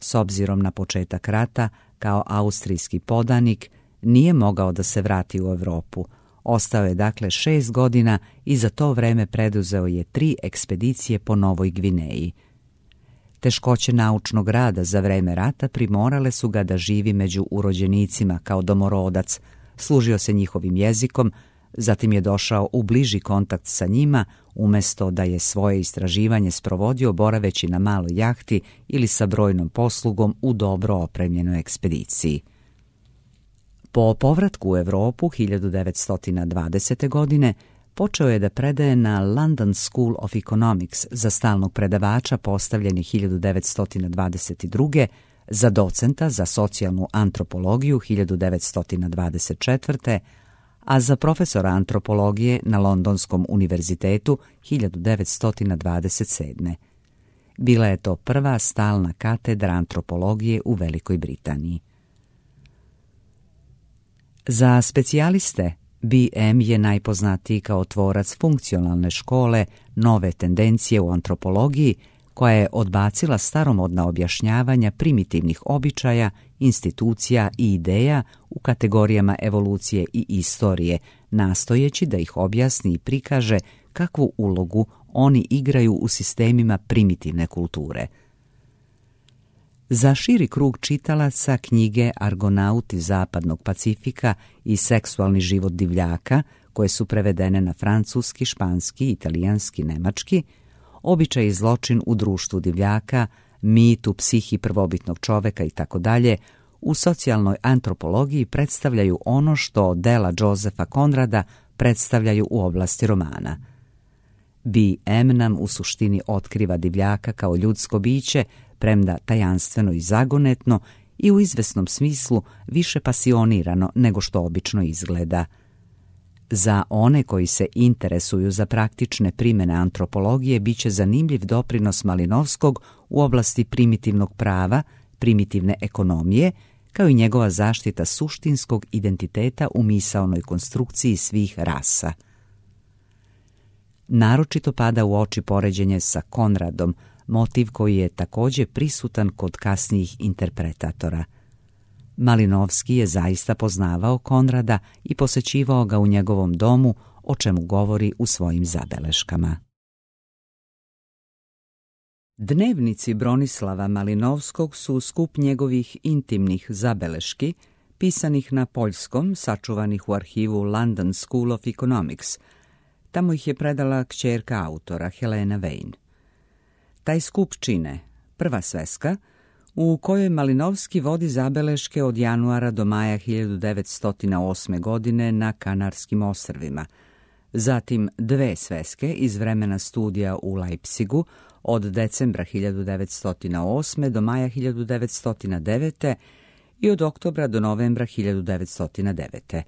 S obzirom na početak rata, kao austrijski podanik, nije mogao da se vrati u Evropu. Ostao je dakle šest godina i za to vreme preduzeo je tri ekspedicije po Novoj Gvineji. Teškoće naučnog rada za vreme rata primorale su ga da živi među urođenicima kao domorodac, služio se njihovim jezikom, zatim je došao u bliži kontakt sa njima, umjesto da je svoje istraživanje sprovodio boraveći na maloj jahti ili sa brojnom poslugom u dobro opremljenoj ekspediciji. Po povratku u Evropu hiljadu devetsto dvadesete. godine počeo je da predaje na London School of Economics za stalnog predavača postavljeni hiljadu devetsto dvadeset druge. za docenta za socijalnu antropologiju hiljadu devetsto dvadeset četvrte. a za profesora antropologije na Londonskom univerzitetu hiljadu devetsto dvadeset sedme. Bila je to prva stalna katedra antropologije u Velikoj Britaniji. Za specijaliste, B M je najpoznatiji kao tvorac funkcionalne škole nove tendencije u antropologiji, koja je odbacila staromodna objašnjavanja primitivnih običaja, institucija i ideja u kategorijama evolucije i istorije, nastojeći da ih objasni i prikaže kakvu ulogu oni igraju u sistemima primitivne kulture. Za širi krug čitalaca knjige Argonauti zapadnog Pacifika i Seksualni život divljaka, koje su prevedene na francuski, španski, italijanski, nemački, Običaj i zločin u društvu divljaka, Mit u psihi prvobitnog čoveka i tako dalje, u socijalnoj antropologiji predstavljaju ono što dela Josepha Conrada predstavljaju u oblasti romana. B M nam u suštini otkriva divljaka kao ljudsko biće, premda tajanstveno i zagonetno i u izvesnom smislu više pasionirano nego što obično izgleda. Za one koji se interesuju za praktične primjene antropologije biće zanimljiv doprinos Malinovskog u oblasti primitivnog prava, primitivne ekonomije, kao i njegova zaštita suštinskog identiteta u misaonoj konstrukciji svih rasa. Naročito pada u oči poređenje sa Konradom, motiv koji je također prisutan kod kasnijih interpretatora. Malinovski je zaista poznavao Konrada i posećivao ga u njegovom domu, o čemu govori u svojim zabeleškama. Dnevnici Bronislava Malinovskog su skup njegovih intimnih zabeleški, pisanih na poljskom, sačuvanih u arhivu London School of Economics. Tamo ih je predala kćerka autora, Helena Vane. Taj skup čine prva sveska, u kojoj Malinovski vodi zabeleške od januara do maja hiljadu devetsto osme. godine na Kanarskim ostrvima, zatim dve sveske iz vremena studija u Leipzigu od decembra hiljadu devetsto osme. do maja hiljadu devetsto devete. i od oktobra do novembra hiljadu devetsto devete.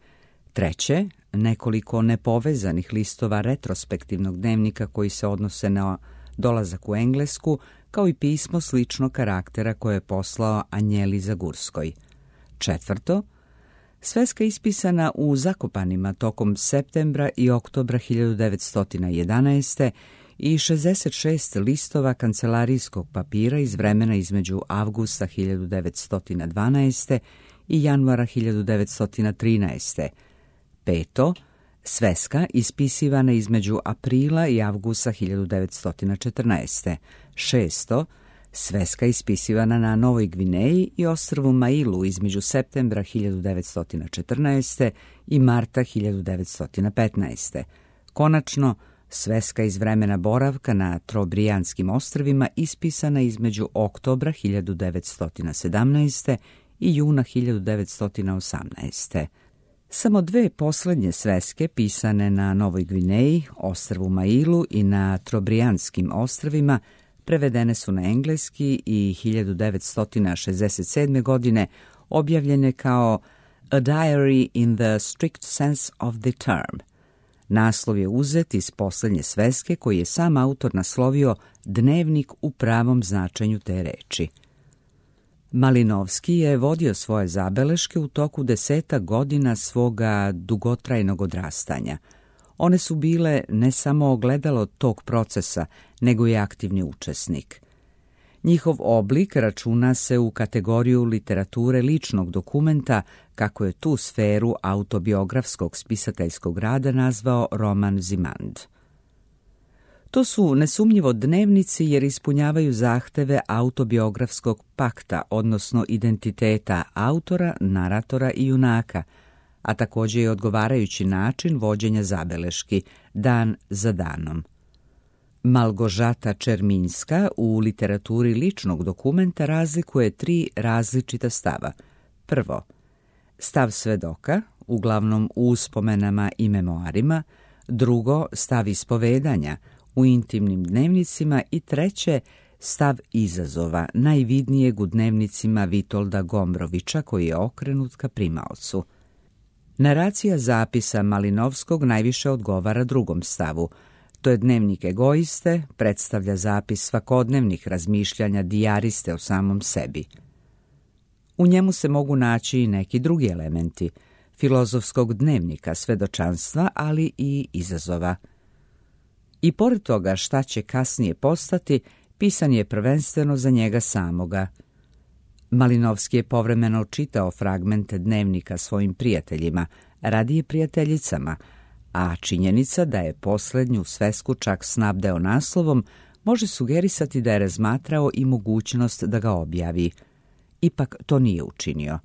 Treće, nekoliko nepovezanih listova retrospektivnog dnevnika koji se odnose na dolazak u Englesku, kao i pismo sličnog karaktera koje je poslao Anjeli Zagurskoj. Četvrto, sveska ispisana u Zakopanima tokom septembra i oktobra hiljadu devetsto jedanaeste. i šezdeset šest listova kancelarijskog papira iz vremena između avgusta hiljadu devetsto dvanaeste. i januara hiljadu devetsto trinaeste. Peto, sveska ispisivana između aprila i avgusta hiljadu devetsto četrnaeste. Šesto, sveska ispisivana na Novoj Gvineji i ostrvu Mailu između septembra hiljadu devetsto četrnaeste. i marta hiljadu devetsto petnaeste. Konačno, sveska iz vremena boravka na Trobrijanskim ostrvima ispisana između oktobra hiljadu devetsto sedamnaeste. i juna hiljadu devetsto osamnaeste. Samo dve posljednje sveske pisane na Novoj Gvineji, ostrvu Mailu i na Trobrijanskim ostrvima prevedene su na engleski i hiljadu devetsto šezdeset sedme. godine objavljene kao A Diary in the Strict Sense of the Term. Naslov je uzet iz posljednje sveske koji je sam autor naslovio Dnevnik u pravom značenju te reči. Malinovski je vodio svoje zabeleške u toku deseta godina svoga dugotrajnog odrastanja. One su bile ne samo ogledalo tog procesa, nego i aktivni učesnik. Njihov oblik računa se u kategoriju literature ličnog dokumenta, kako je tu sferu autobiografskog spisateljskog rada nazvao Roman Zimand. To su nesumnjivo dnevnici jer ispunjavaju zahteve autobiografskog pakta, odnosno identiteta autora, naratora i junaka, a također i odgovarajući način vođenja zabeleški, dan za danom. Malgožata Čerminska u literaturi ličnog dokumenta razlikuje tri različita stava. Prvo, stav svedoka, uglavnom u uspomenama i memoarima, drugo, stav ispovedanja, u intimnim dnevnicima i treće, stav izazova, najvidnijeg u dnevnicima Vitolda Gombrovića koji je okrenut ka primaocu. Naracija zapisa Malinovskog najviše odgovara drugom stavu. To je dnevnik egoiste, predstavlja zapis svakodnevnih razmišljanja dijariste o samom sebi. U njemu se mogu naći i neki drugi elementi, filozofskog dnevnika, svedočanstva, ali i izazova. I pored toga šta će kasnije postati, pisan je prvenstveno za njega samoga. Malinovski je povremeno čitao fragmente dnevnika svojim prijateljima, radije prijateljicama, a činjenica da je posljednju svesku čak snabdeo naslovom može sugerisati da je razmatrao i mogućnost da ga objavi. Ipak to nije učinio.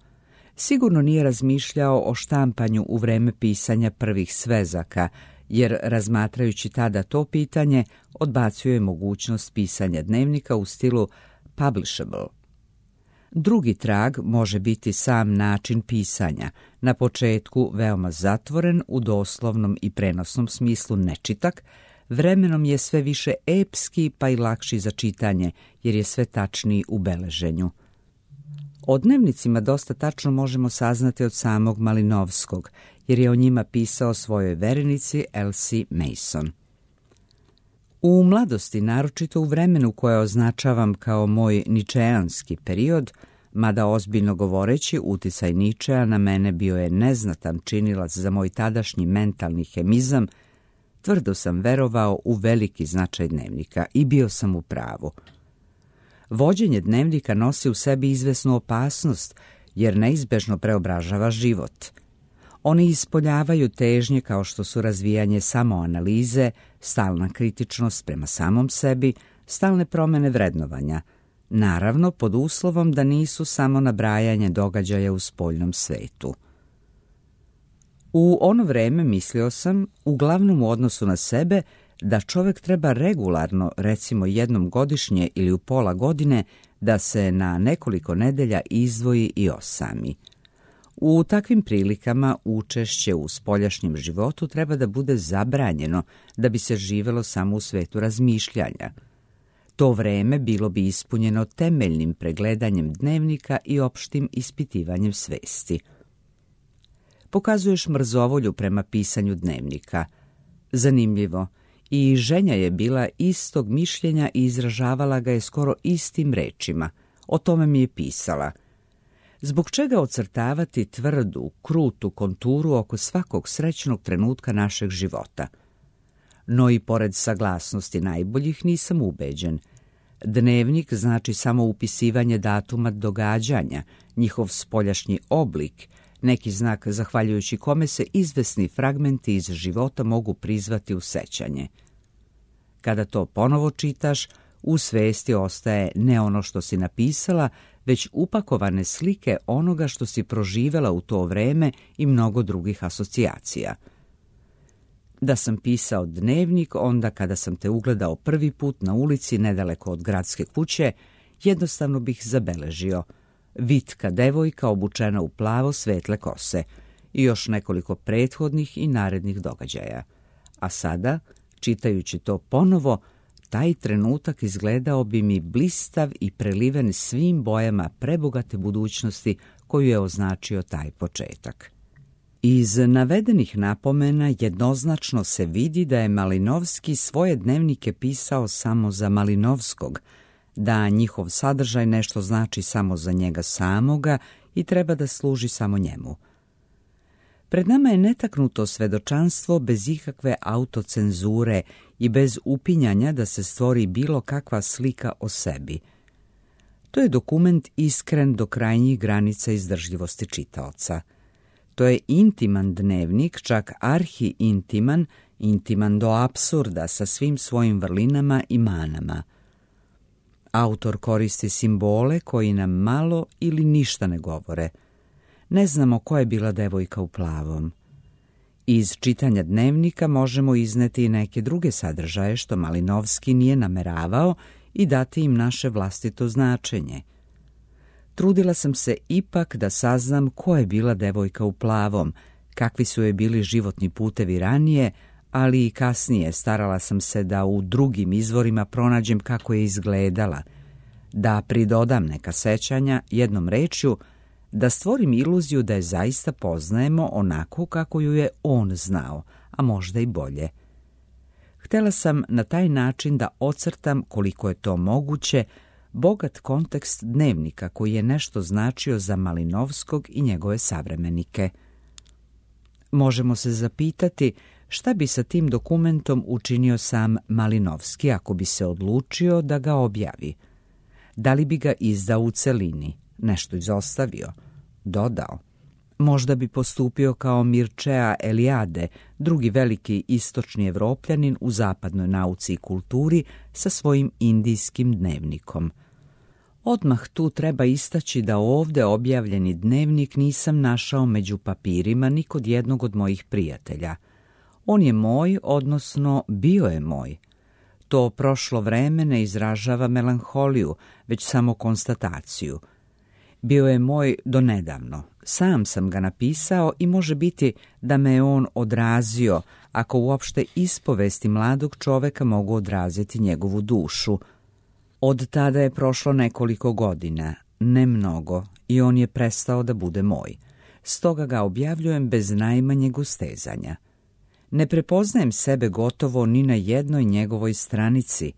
Sigurno nije razmišljao o štampanju u vreme pisanja prvih svezaka, jer razmatrajući tada to pitanje odbacuje mogućnost pisanja dnevnika u stilu publishable. Drugi trag može biti sam način pisanja, na početku veoma zatvoren u doslovnom i prenosnom smislu nečitak, vremenom je sve više epski pa i lakši za čitanje, jer je sve tačniji u beleženju. O dnevnicima dosta tačno možemo saznati od samog Malinovskog, jer je o njima pisao svojoj verenici Elsie Mason. U mladosti, naročito u vremenu koje označavam kao moj ničeanski period, mada ozbiljno govoreći, uticaj Ničea na mene bio je neznatan činilac za moj tadašnji mentalni hemizam, Tvrdo sam verovao u veliki značaj dnevnika i bio sam u pravu. Vođenje dnevnika nosi u sebi izvesnu opasnost, jer neizbežno preobražava život. Oni ispoljavaju težnje kao što su razvijanje samoanalize, stalna kritičnost prema samom sebi, stalne promjene vrednovanja, naravno pod uslovom da nisu samo nabrajanje događaja u spoljnom svetu. U ono vreme mislio sam, uglavnom u odnosu na sebe, da čovjek treba regularno, recimo jednom godišnje ili u pola godine, da se na nekoliko nedelja izdvoji i osami. U takvim prilikama učešće u spoljašnjem životu treba da bude zabranjeno da bi se živelo samo u svetu razmišljanja. To vreme bilo bi ispunjeno temeljnim pregledanjem dnevnika i opštim ispitivanjem svesti. Pokazuješ mrzovolju prema pisanju dnevnika. Zanimljivo, i ženja je bila istog mišljenja i izražavala ga je skoro istim rečima. O tome mi je pisala. Zbog čega ocrtavati tvrdu, krutu konturu oko svakog srećnog trenutka našeg života? No i pored saglasnosti najboljih nisam ubeđen. Dnevnik znači samo upisivanje datuma događanja, njihov spoljašnji oblik, neki znak zahvaljujući kome se izvesni fragmenti iz života mogu prizvati u sećanje. Kada to ponovo čitaš, u svesti ostaje ne ono što si napisala, već upakovane slike onoga što si proživela u to vreme i mnogo drugih asocijacija. Da sam pisao dnevnik onda kada sam te ugledao prvi put na ulici nedaleko od gradske kuće, jednostavno bih zabeležio vitka devojka obučena u plavo svetle kose i još nekoliko prethodnih i narednih događaja. A sada, čitajući to ponovo, taj trenutak izgledao bi mi blistav i preliven svim bojama prebogate budućnosti koju je označio taj početak. Iz navedenih napomena jednoznačno se vidi da je Malinovski svoje dnevnike pisao samo za Malinovskog, da njihov sadržaj nešto znači samo za njega samoga i treba da služi samo njemu. Pred nama je netaknuto svedočanstvo bez ikakve autocenzure i bez upinjanja da se stvori bilo kakva slika o sebi. To je dokument iskren do krajnjih granica izdržljivosti čitaoca. To je intiman dnevnik, čak arhi-intiman, intiman do apsurda sa svim svojim vrlinama i manama. Autor koristi simbole koji nam malo ili ništa ne govore. Ne znamo ko je bila devojka u plavom. Iz čitanja dnevnika možemo izneti i neke druge sadržaje što Malinovski nije nameravao i dati im naše vlastito značenje. Trudila sam se ipak da saznam ko je bila devojka u plavom, kakvi su joj bili životni putevi ranije, ali i kasnije starala sam se da u drugim izvorima pronađem kako je izgledala, da pridodam neka sećanja, jednom rečju, da stvorim iluziju da je zaista poznajemo onako kako ju je on znao, a možda i bolje. Htela sam na taj način da ocrtam, koliko je to moguće, bogat kontekst dnevnika koji je nešto značio za Malinovskog i njegove savremenike. Možemo se zapitati šta bi sa tim dokumentom učinio sam Malinovski ako bi se odlučio da ga objavi. Da li bi ga izdao u celini, nešto izostavio, dodao? Možda bi postupio kao Mircea Eliade, drugi veliki istočni Evropljanin u zapadnoj nauci i kulturi sa svojim indijskim dnevnikom. Odmah tu treba istaći da ovde objavljeni dnevnik nisam našao među papirima ni kod jednog od mojih prijatelja. On je moj, odnosno bio je moj. To prošlo vreme ne izražava melanholiju, već samo konstataciju. Bio je moj donedavno. Sam sam ga napisao i može biti da me je on odrazio, ako uopšte ispovesti mladog čoveka mogu odraziti njegovu dušu. Od tada je prošlo nekoliko godina, ne mnogo, i on je prestao da bude moj. Stoga ga objavljujem bez najmanjeg ustezanja. Ne prepoznajem sebe gotovo ni na jednoj njegovoj stranici,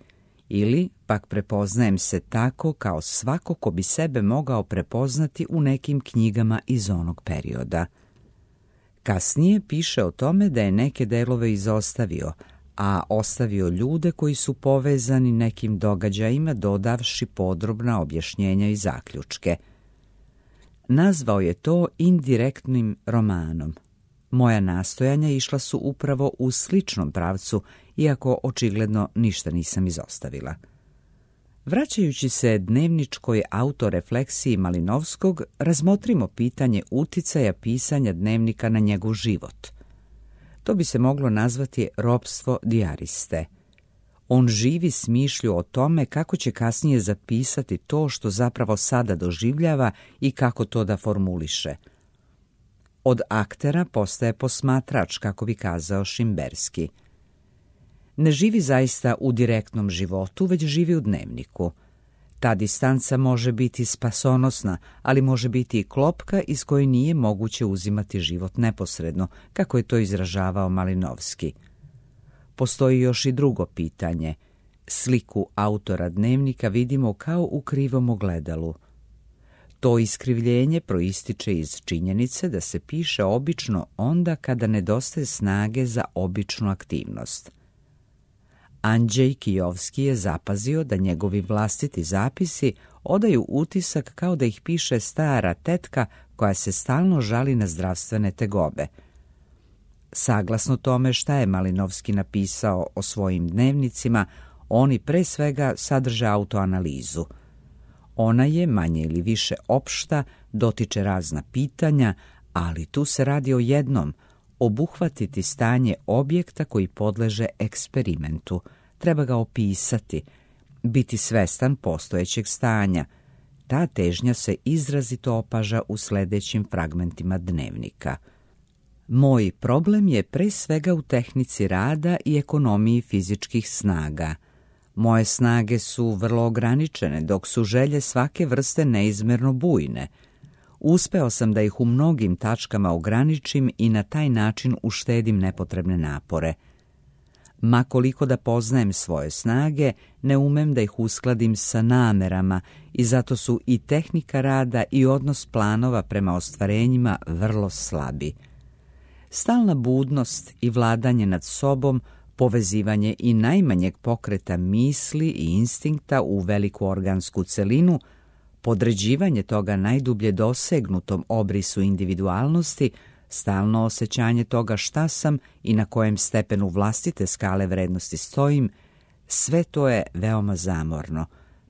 ili pak prepoznajem se tako kao svako ko bi sebe mogao prepoznati u nekim knjigama iz onog perioda. Kasnije piše o tome da je neke delove izostavio, a ostavio ljude koji su povezani nekim događajima, dodavši podrobna objašnjenja i zaključke. Nazvao je to indirektnim romanom. Moja nastojanja išla su upravo u sličnom pravcu, iako očigledno ništa nisam izostavila. Vraćajući se dnevničkoj autorefleksiji Malinovskog, razmotrimo pitanje uticaja pisanja dnevnika na njegov život. To bi se moglo nazvati ropstvo dijariste. On živi s mišlju o tome kako će kasnije zapisati to što zapravo sada doživljava i kako to da formuliše. Od aktera postaje posmatrač, kako bi kazao Šimberski. Ne živi zaista u direktnom životu, već živi u dnevniku. Ta distanca može biti spasonosna, ali može biti i klopka iz koje nije moguće uzimati život neposredno, kako je to izražavao Malinovski. Postoji još i drugo pitanje. Sliku autora dnevnika vidimo kao u krivom ogledalu. To iskrivljenje proističe iz činjenice da se piše obično onda kada nedostaje snage za običnu aktivnost. Andrzej Kijovski je zapazio da njegovi vlastiti zapisi odaju utisak kao da ih piše stara tetka koja se stalno žali na zdravstvene tegobe. Saglasno tome šta je Malinovski napisao o svojim dnevnicima, oni pre svega sadrže autoanalizu. Ona je manje ili više opšta, dotiče razna pitanja, ali tu se radi o jednom, obuhvatiti stanje objekta koji podleže eksperimentu. Treba ga opisati, biti svestan postojećeg stanja. Ta težnja se izrazito opaža u sljedećim fragmentima dnevnika. Moj problem je pre svega u tehnici rada i ekonomiji fizičkih snaga. Moje snage su vrlo ograničene, dok su želje svake vrste neizmerno bujne. Uspeo sam da ih u mnogim tačkama ograničim i na taj način uštedim nepotrebne napore. Ma koliko da poznajem svoje snage, ne umem da ih uskladim sa namerama i zato su i tehnika rada i odnos planova prema ostvarenjima vrlo slabi. Stalna budnost i vladanje nad sobom, povezivanje i najmanjeg pokreta misli i instinkta u veliku organsku celinu, podređivanje toga najdublje dosegnutom obrisu individualnosti, stalno osjećanje toga šta sam i na kojem stepenu vlastite skale vrednosti stojim, sve to je veoma zamorno,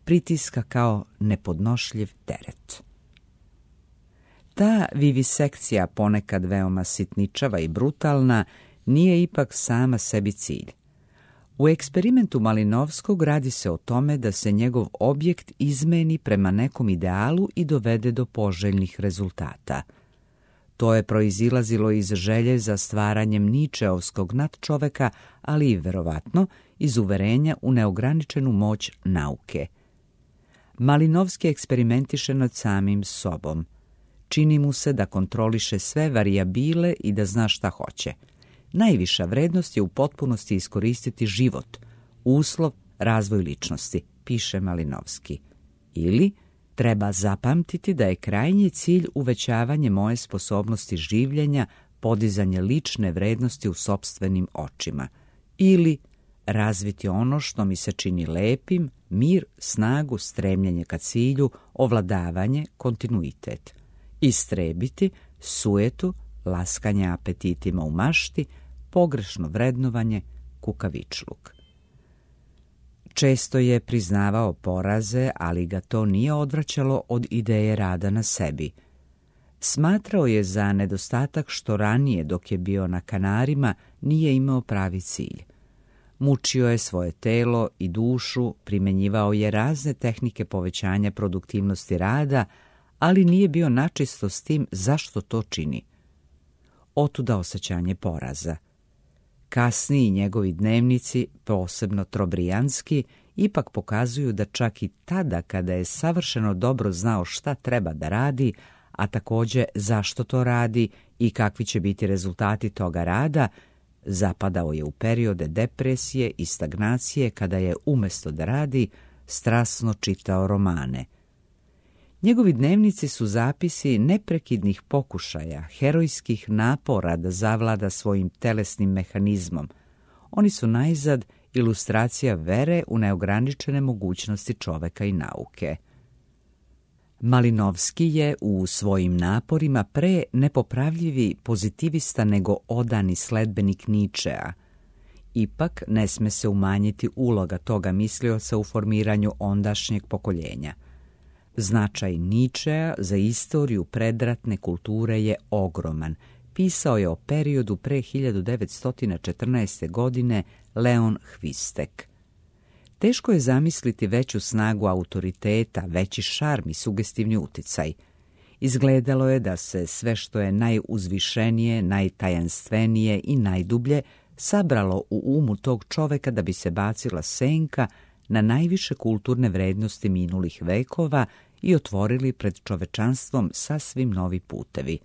pritiska kao nepodnošljiv teret. Ta vivisekcija, ponekad veoma sitničava i brutalna, nije ipak sama sebi cilj. U eksperimentu Malinovskog radi se o tome da se njegov objekt izmeni prema nekom idealu i dovede do poželjnih rezultata. To je proizilazilo iz želje za stvaranjem ničeovskog nadčoveka, ali i verovatno iz uverenja u neograničenu moć nauke. Malinovski eksperimentiše nad samim sobom. Čini mu se da kontroliše sve varijabile i da zna šta hoće. Najviša vrednost je u potpunosti iskoristiti život, uslov, razvoj ličnosti, piše Malinovski. Ili treba zapamtiti da je krajnji cilj uvećavanje moje sposobnosti življenja, podizanje lične vrednosti u sopstvenim očima. Ili razviti ono što mi se čini lepim, mir, snagu, stremljenje ka cilju, ovladavanje, kontinuitet. Istrebiti sujetu, laskanje apetitima u mašti, pogrešno vrednovanje, kukavičluk. Često je priznavao poraze, ali ga to nije odvraćalo od ideje rada na sebi. Smatrao je za nedostatak što ranije, dok je bio na Kanarima, nije imao pravi cilj. Mučio je svoje telo i dušu, primenjivao je razne tehnike povećanja produktivnosti rada, ali nije bio načisto s tim zašto to čini. Otuda osjećanje poraza. Kasniji njegovi dnevnici, posebno trobrijanski, ipak pokazuju da čak i tada kada je savršeno dobro znao šta treba da radi, a također zašto to radi i kakvi će biti rezultati toga rada, zapadao je u periode depresije i stagnacije kada je umjesto da radi strasno čitao romane. Njegovi dnevnici su zapisi neprekidnih pokušaja, herojskih napora da zavlada svojim telesnim mehanizmom. Oni su najzad ilustracija vere u neograničene mogućnosti čoveka i nauke. Malinovski je u svojim naporima pre nepopravljivi pozitivista nego odani sledbenik Ničea. Ipak ne sme se umanjiti uloga toga mislioca u formiranju ondašnjeg pokoljenja. Značaj Ničea za istoriju predratne kulture je ogroman. Pisao je o periodu pre hiljadu devetsto četrnaeste. godine Leon Hvistek. Teško je zamisliti veću snagu autoriteta, veći šarm i sugestivni uticaj. Izgledalo je da se sve što je najuzvišenije, najtajanstvenije i najdublje sabralo u umu tog čoveka da bi se bacila senka na najviše kulturne vrednosti minulih vekova i otvorili pred čovečanstvom sasvim novi putevi.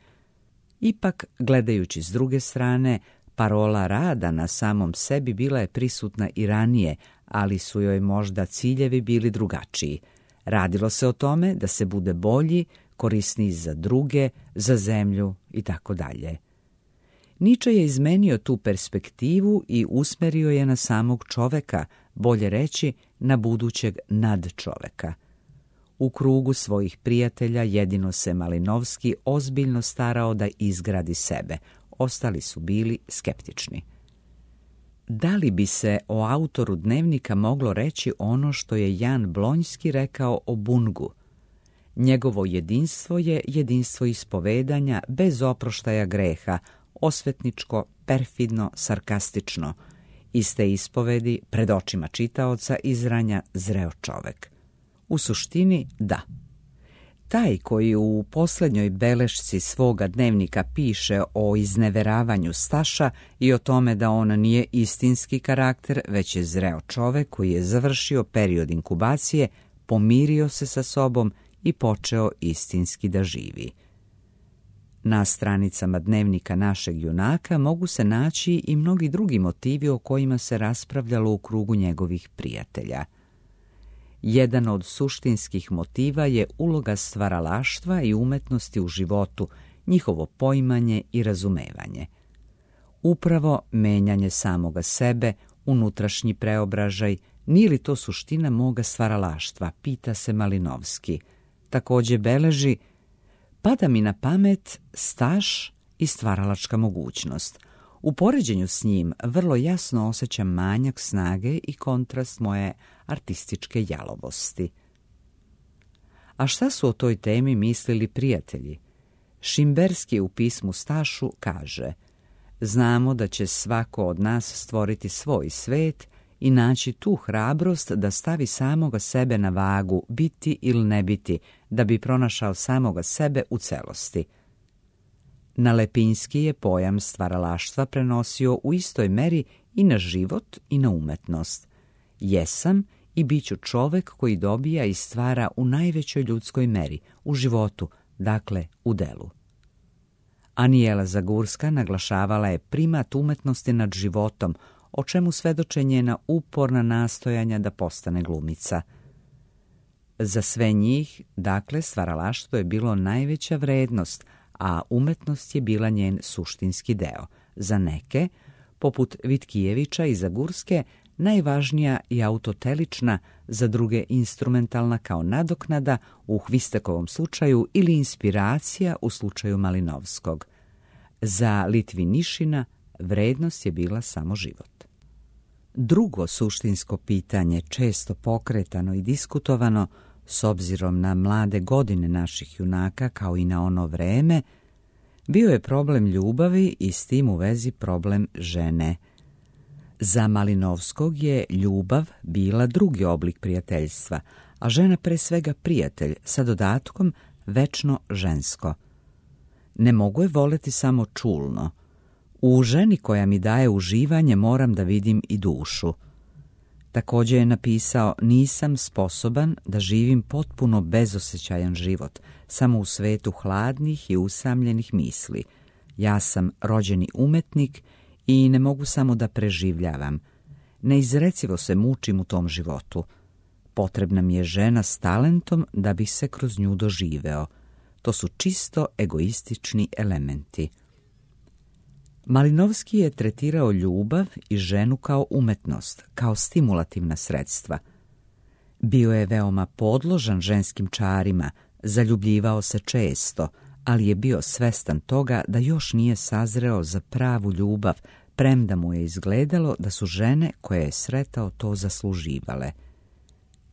Ipak, gledajući s druge strane, parola rada na samom sebi bila je prisutna i ranije, ali su joj možda ciljevi bili drugačiji. Radilo se o tome da se bude bolji, korisniji za druge, za zemlju i tako dalje. Niče je izmenio tu perspektivu i usmerio je na samog čoveka, bolje reći na budućeg nadčoveka. U krugu svojih prijatelja jedino se Malinovski ozbiljno starao da izgradi sebe, ostali su bili skeptični. Da li bi se o autoru Dnevnika moglo reći ono što je Jan Blonjski rekao o Bungu? Njegovo jedinstvo je jedinstvo ispovedanja bez oproštaja greha, osvetničko, perfidno, sarkastično. Iz te ispovedi pred očima čitaoca izranja zreo čovek. U suštini, da. Taj koji u posljednjoj belešci svoga Dnevnika piše o izneveravanju Staša i o tome da on nije istinski karakter, već je zreo čovek koji je završio period inkubacije, pomirio se sa sobom i počeo istinski da živi. Na stranicama Dnevnika našeg junaka mogu se naći i mnogi drugi motivi o kojima se raspravljalo u krugu njegovih prijatelja. Jedan od suštinskih motiva je uloga stvaralaštva i umetnosti u životu, njihovo poimanje i razumevanje. Upravo menjanje samoga sebe, unutrašnji preobražaj, nije li to suština moga stvaralaštva, pita se Malinovski. Također beleži, pada mi na pamet Staš i stvaralačka mogućnost. U poređenju s njim vrlo jasno osjećam manjak snage i kontrast moje artističke jalovosti. A šta su o toj temi mislili prijatelji? Šimberski u pismu Stašu kaže: znamo da će svako od nas stvoriti svoj svet i naći tu hrabrost da stavi samoga sebe na vagu, biti ili ne biti, da bi pronašao samoga sebe u celosti. Na Lepinski je pojam stvaralaštva prenosio u istoj meri i na život i na umetnost. Jesam i bit ću čovek koji dobija i stvara u najvećoj ljudskoj meri, u životu, dakle u delu. Anijela Zagurska naglašavala je primat umetnosti nad životom, o čemu svedoče njena uporna nastojanja da postane glumica. Za sve njih, dakle, stvaralaštvo je bilo najveća vrednost, a umetnost je bila njen suštinski deo. Za neke, poput Vitkijevića i Zagurske, najvažnija i autotelična, za druge instrumentalna kao nadoknada u Hvistekovom slučaju ili inspiracija u slučaju Malinovskog. Za Litvinišina vrednost je bila samo život. Drugo suštinsko pitanje, često pokretano i diskutovano, s obzirom na mlade godine naših junaka kao i na ono vreme, bio je problem ljubavi i s tim u vezi problem žene. Za Malinovskog je ljubav bila drugi oblik prijateljstva, a žena pre svega prijatelj, sa dodatkom večno žensko. Ne mogu je voleti samo čulno. U ženi koja mi daje uživanje moram da vidim i dušu. Također je napisao: nisam sposoban da živim potpuno bezosjećajan život, samo u svetu hladnih i usamljenih misli. Ja sam rođeni umetnik i ne mogu samo da preživljavam. Neizrecivo se mučim u tom životu. Potrebna mi je žena s talentom da bi se kroz nju doživeo. To su čisto egoistični elementi. Malinovski je tretirao ljubav i ženu kao umetnost, kao stimulativna sredstva. Bio je veoma podložan ženskim čarima, zaljubljivao se često, ali je bio svestan toga da još nije sazreo za pravu ljubav, premda mu je izgledalo da su žene koje je sretao to zasluživale.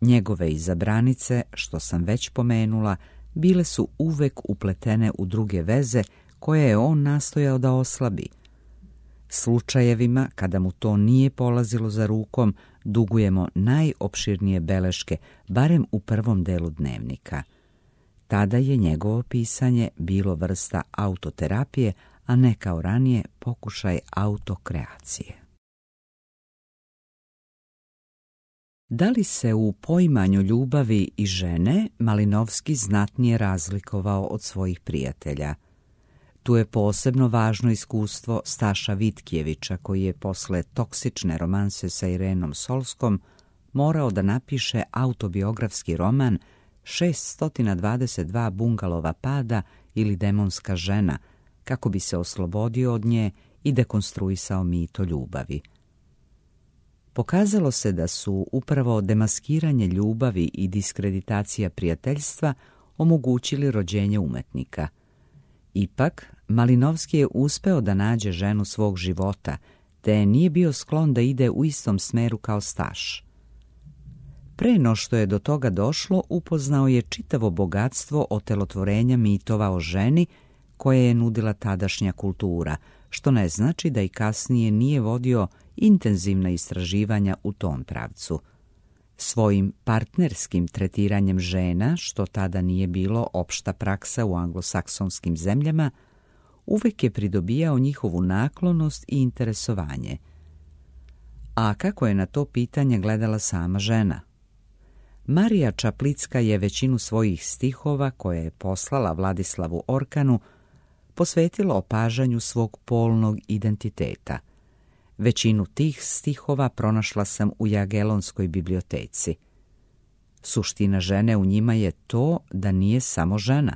Njegove izabranice, što sam već pomenula, bile su uvek upletene u druge veze koje je on nastojao da oslabi. Slučajevima, kada mu to nije polazilo za rukom, dugujemo najopširnije beleške, barem u prvom delu dnevnika. Tada je njegovo pisanje bilo vrsta autoterapije, a ne kao ranije pokušaj autokreacije. Da li se u poimanju ljubavi i žene Malinovski znatnije razlikovao od svojih prijatelja? Tu je posebno važno iskustvo Staša Vitkijevića, koji je posle toksične romanse sa Irenom Solskom morao da napiše autobiografski roman šessto dvadeset dva bungalova pada ili Demonska žena, kako bi se oslobodio od nje i dekonstruisao mit o ljubavi. Pokazalo se da su upravo demaskiranje ljubavi i diskreditacija prijateljstva omogućili rođenje umetnika. Ipak, Malinovski je uspeo da nađe ženu svog života, te nije bio sklon da ide u istom smeru kao Staš. Pre no što je do toga došlo, upoznao je čitavo bogatstvo otelotvorenja mitova o ženi koje je nudila tadašnja kultura, što ne znači da i kasnije nije vodio intenzivna istraživanja u tom pravcu. Svojim partnerskim tretiranjem žena, što tada nije bilo opšta praksa u anglosaksonskim zemljama, uvek je pridobijao njihovu naklonost i interesovanje. A kako je na to pitanje gledala sama žena? Marija Čaplicka je većinu svojih stihova, koje je poslala Vladislavu Orkanu, posvetila opažanju svog polnog identiteta. Većinu tih stihova pronašla sam u Jagelonskoj biblioteci. Suština žene u njima je to da nije samo žena.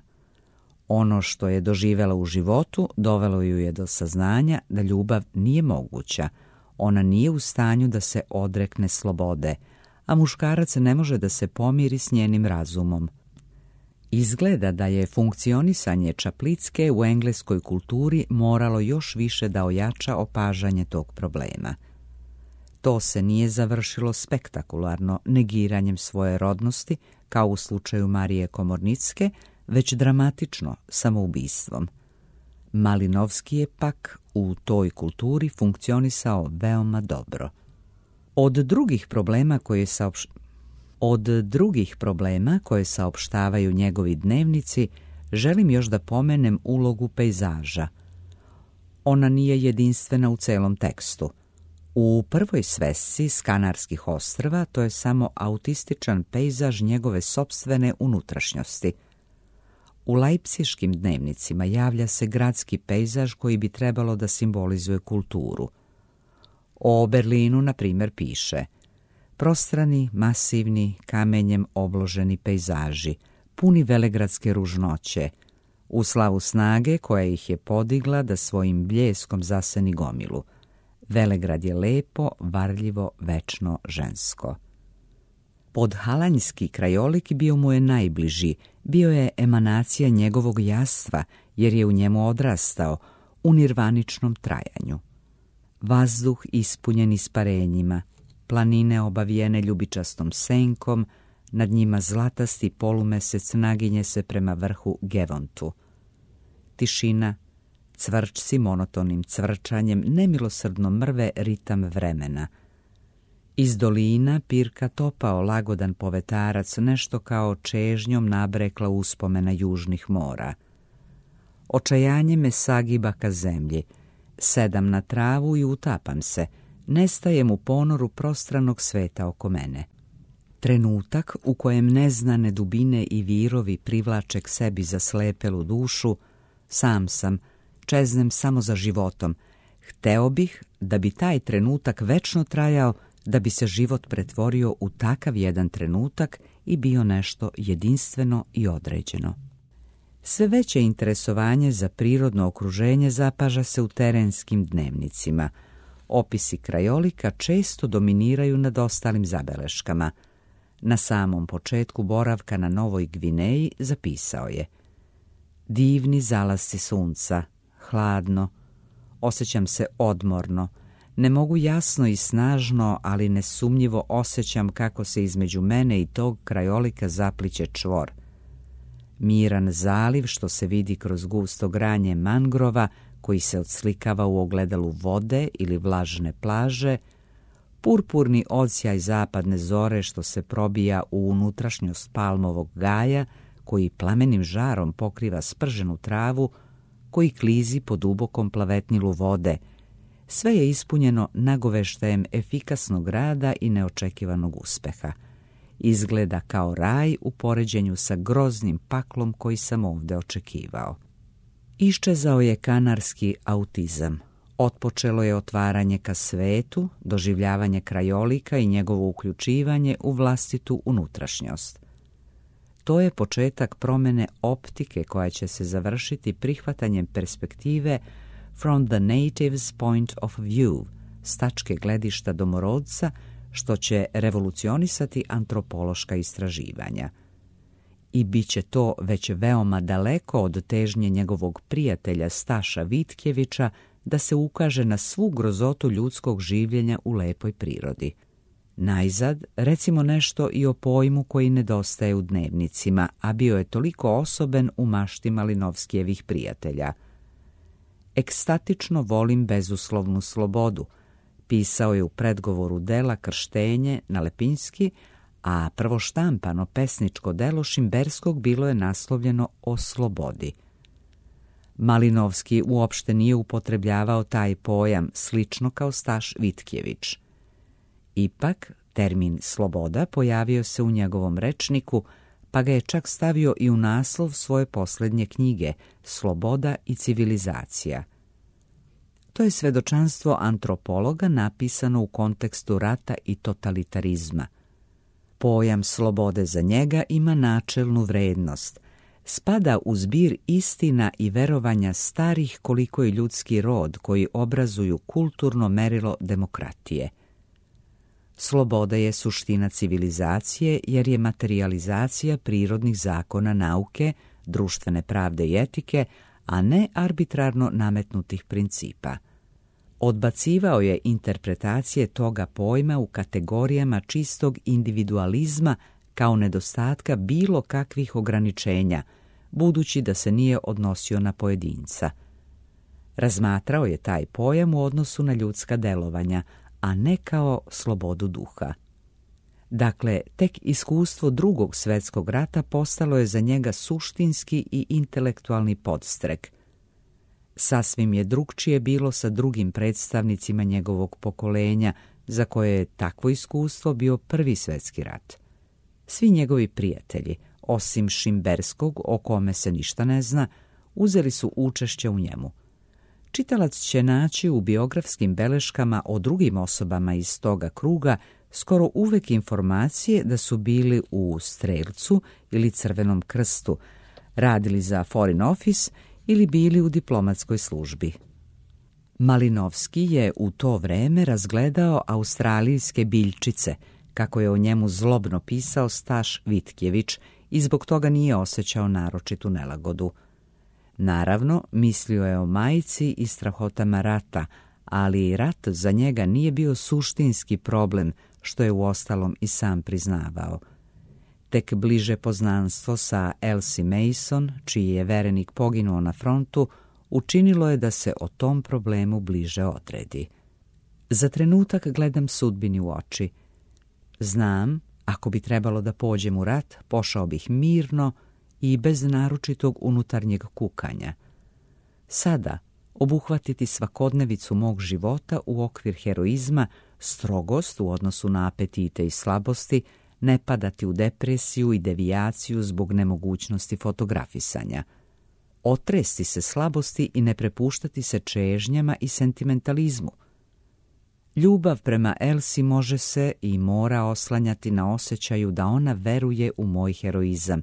Ono što je doživela u životu dovelo ju je do saznanja da ljubav nije moguća. Ona nije u stanju da se odrekne slobode, a muškarac ne može da se pomiri s njenim razumom. Izgleda da je funkcionisanje Čaplicke u engleskoj kulturi moralo još više da ojača opažanje tog problema. To se nije završilo spektakularno negiranjem svoje rodnosti, kao u slučaju Marije Komornicke, već dramatično samoubistvom. Malinovski je pak u toj kulturi funkcionisao veoma dobro. Od drugih problema koje saopš... Od drugih problema koje saopštavaju njegovi dnevnici, želim još da pomenem ulogu pejzaža. Ona nije jedinstvena u celom tekstu. U prvoj svesci s Kanarskih ostrva to je samo autističan pejzaž njegove sopstvene unutrašnjosti. U lajpciškim dnevnicima javlja se gradski pejzaž koji bi trebalo da simbolizuje kulturu. O Berlinu, na primjer, piše: prostrani, masivni, kamenjem obloženi pejzaži, puni velegradske ružnoće, u slavu snage koja ih je podigla da svojim bljeskom zaseni gomilu. Velegrad je lepo, varljivo, večno, žensko. Podhalanjski krajolik bio mu je najbliži, bio je emanacija njegovog jastva, jer je u njemu odrastao, u nirvaničnom trajanju. Vazduh ispunjen isparenjima, planine obavijene ljubičastom senkom, nad njima zlatasti polumesec naginje se prema vrhu Gevontu. Tišina, cvrčci monotonim cvrčanjem nemilosrdno mrve ritam vremena. Iz dolina pirka topao lagodan povetarac, nešto kao čežnjom nabrekla uspomena južnih mora. Očajanje me sagiba ka zemlji, sedam na travu i utapam se, nestajem u ponoru prostranog sveta oko mene. Trenutak u kojem neznane dubine i virovi privlače k sebi zaslepelu dušu, sam sam, čeznem samo za životom. Hteo bih da bi taj trenutak večno trajao, da bi se život pretvorio u takav jedan trenutak i bio nešto jedinstveno i određeno. Sve veće interesovanje za prirodno okruženje zapaža se u terenskim dnevnicima. Opisi krajolika često dominiraju nad ostalim zabeleškama. Na samom početku boravka na Novoj Gvineji zapisao je: divni zalasci sunca, hladno, osjećam se odmorno, ne mogu jasno i snažno, ali nesumnjivo osjećam kako se između mene i tog krajolika zapliće čvor. Miran zaliv što se vidi kroz gusto granje mangrova koji se odslikava u ogledalu vode ili vlažne plaže, purpurni odsjaj zapadne zore što se probija u unutrašnjost palmovog gaja koji plamenim žarom pokriva sprženu travu koji klizi po dubokom plavetnilu vode. Sve je ispunjeno nagoveštajem efikasnog rada i neočekivanog uspeha. Izgleda kao raj u poređenju sa groznim paklom koji sam ovdje očekivao. Iščezao je kanarski autizam. Otpočelo je otvaranje ka svetu, doživljavanje krajolika i njegovo uključivanje u vlastitu unutrašnjost. To je početak promjene optike koja će se završiti prihvatanjem perspektive from the native's point of view, s tačke gledišta domorodca, što će revolucionisati antropološka istraživanja. I bit će to već veoma daleko od težnje njegovog prijatelja Staša Vitkjevića da se ukaže na svu grozotu ljudskog življenja u lepoj prirodi. Najzad, recimo nešto i o pojmu koji nedostaje u dnevnicima, a bio je toliko osoben u mašti Malinovskijevih prijatelja. Ekstatično volim bezuslovnu slobodu, pisao je u predgovoru dela Krštenje na Lepinski, a prvo štampano pesničko delo Šimberskog bilo je naslovljeno O slobodi. Malinovski uopšte nije upotrebljavao taj pojam, slično kao Staš Vitkjević. Ipak, termin sloboda pojavio se u njegovom rečniku, pa ga je čak stavio i u naslov svoje posljednje knjige Sloboda i civilizacija. To je svedočanstvo antropologa napisano u kontekstu rata i totalitarizma. Pojam slobode za njega ima načelnu vrednost. Spada u zbir istina i verovanja starih koliko je ljudski rod koji obrazuju kulturno merilo demokratije. Sloboda je suština civilizacije jer je materijalizacija prirodnih zakona nauke, društvene pravde i etike, a ne arbitrarno nametnutih principa. Odbacivao je interpretacije toga pojma u kategorijama čistog individualizma kao nedostatka bilo kakvih ograničenja, budući da se nije odnosio na pojedinca. Razmatrao je taj pojam u odnosu na ljudska delovanja, a ne kao slobodu duha. Dakle, tek iskustvo drugog svjetskog rata postalo je za njega suštinski i intelektualni podstrek. Sasvim je drugčije bilo sa drugim predstavnicima njegovog pokolenja, za koje je takvo iskustvo bio prvi svjetski rat. Svi njegovi prijatelji, osim Šimberskog, o kome se ništa ne zna, uzeli su učešće u njemu. Čitalac će naći u biografskim beleškama o drugim osobama iz toga kruga skoro uvek informacije da su bili u Strelcu ili Crvenom krstu, radili za Foreign Office ili bili u diplomatskoj službi. Malinovski je u to vreme razgledao australijske biljčice, kako je o njemu zlobno pisao Staš Vitkjević, i zbog toga nije osjećao naročitu nelagodu. Naravno, mislio je o majci i strahotama rata, ali rat za njega nije bio suštinski problem, što je uostalom i sam priznavao. Tek bliže poznanstvo sa Elsie Mason, čiji je verenik poginuo na frontu, učinilo je da se o tom problemu bliže odredi. Za trenutak gledam sudbini u oči. Znam, ako bi trebalo da pođem u rat, pošao bih mirno i bez naročitog unutarnjeg kukanja. Sada, obuhvatiti svakodnevicu mog života u okvir heroizma, strogost u odnosu na apetite i slabosti, ne padati u depresiju i devijaciju zbog nemogućnosti fotografisanja. Otresti se slabosti i ne prepuštati se čežnjama i sentimentalizmu. Ljubav prema Elsie može se i mora oslanjati na osjećaju da ona veruje u moj heroizam,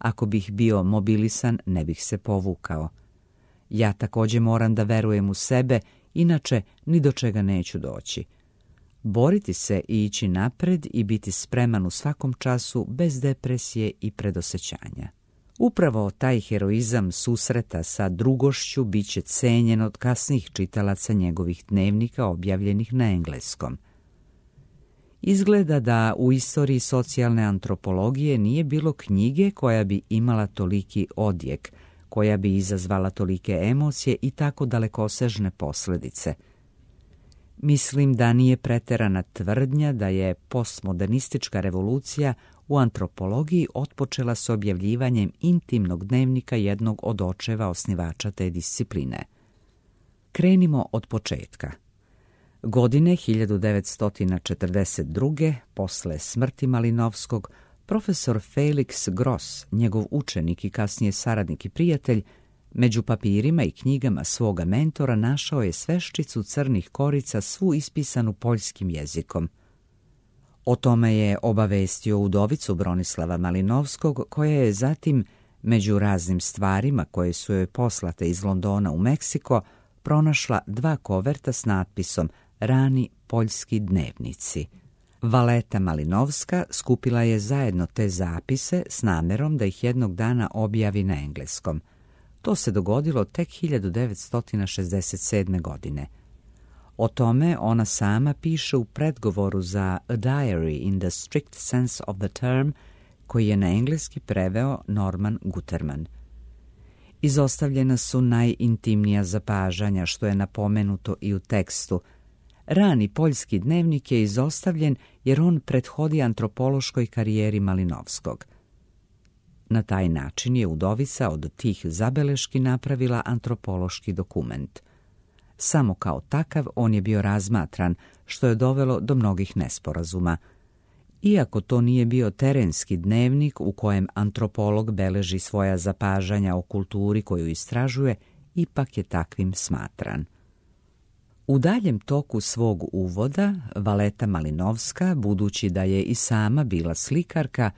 Ako bih bio mobilisan, ne bih se povukao. Ja također moram da verujem u sebe, inače ni do čega neću doći. Boriti se i ići napred i biti spreman u svakom času bez depresije i predosećanja. Upravo taj heroizam susreta sa drugošću bit će cenjen od kasnijih čitalaca njegovih dnevnika objavljenih na engleskom. Izgleda da u istoriji socijalne antropologije nije bilo knjige koja bi imala toliki odjek, koja bi izazvala tolike emocije i tako dalekosežne posljedice. Mislim da nije preterana tvrdnja da je postmodernistička revolucija u antropologiji otpočela s objavljivanjem intimnog dnevnika jednog od očeva osnivača te discipline. Krenimo od početka. Godine hiljadu devetsto četrdeset druge. posle smrti Malinovskog, profesor Felix Gross, njegov učenik i kasnije saradnik i prijatelj, među papirima i knjigama svoga mentora našao je sveščicu crnih korica svu ispisanu poljskim jezikom. O tome je obavestio udovicu Bronislava Malinovskog, koja je zatim, među raznim stvarima koje su joj poslate iz Londona u Meksiko, pronašla dva koverta s natpisom Rani poljski dnevnici. Valeta Malinovska skupila je zajedno te zapise s namerom da ih jednog dana objavi na engleskom. To se dogodilo tek hiljadu devetsto šezdeset sedme. godine. O tome ona sama piše u predgovoru za A Diary in the Strict Sense of the Term, koji je na engleski preveo Norman Guterman. Izostavljena su najintimnija zapažanja, što je napomenuto i u tekstu. Rani poljski dnevnik je izostavljen jer on prethodi antropološkoj karijeri Malinovskog. Na taj način je udovica od tih zabeleški napravila antropološki dokument. Samo kao takav on je bio razmatran, što je dovelo do mnogih nesporazuma. Iako to nije bio terenski dnevnik u kojem antropolog beleži svoja zapažanja o kulturi koju istražuje, ipak je takvim smatran. U daljem toku svog uvoda, Valeta Malinovska, budući da je i sama bila slikarka,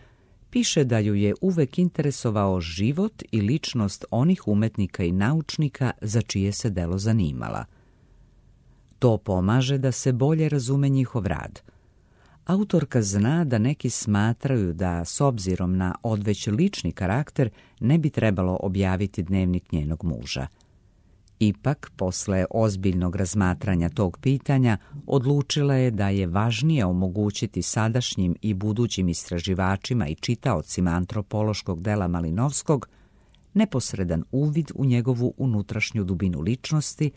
piše da ju je uvek interesovao život i ličnost onih umetnika i naučnika za čije se delo zanimala. To pomaže da se bolje razume njihov rad. Autorka zna da neki smatraju da, s obzirom na odveć lični karakter, ne bi trebalo objaviti dnevnik njenog muža. Ipak, posle ozbiljnog razmatranja tog pitanja, odlučila je da je važnije omogućiti sadašnjim i budućim istraživačima i čitaocima antropološkog dela Malinovskog neposredan uvid u njegovu unutrašnju dubinu ličnosti,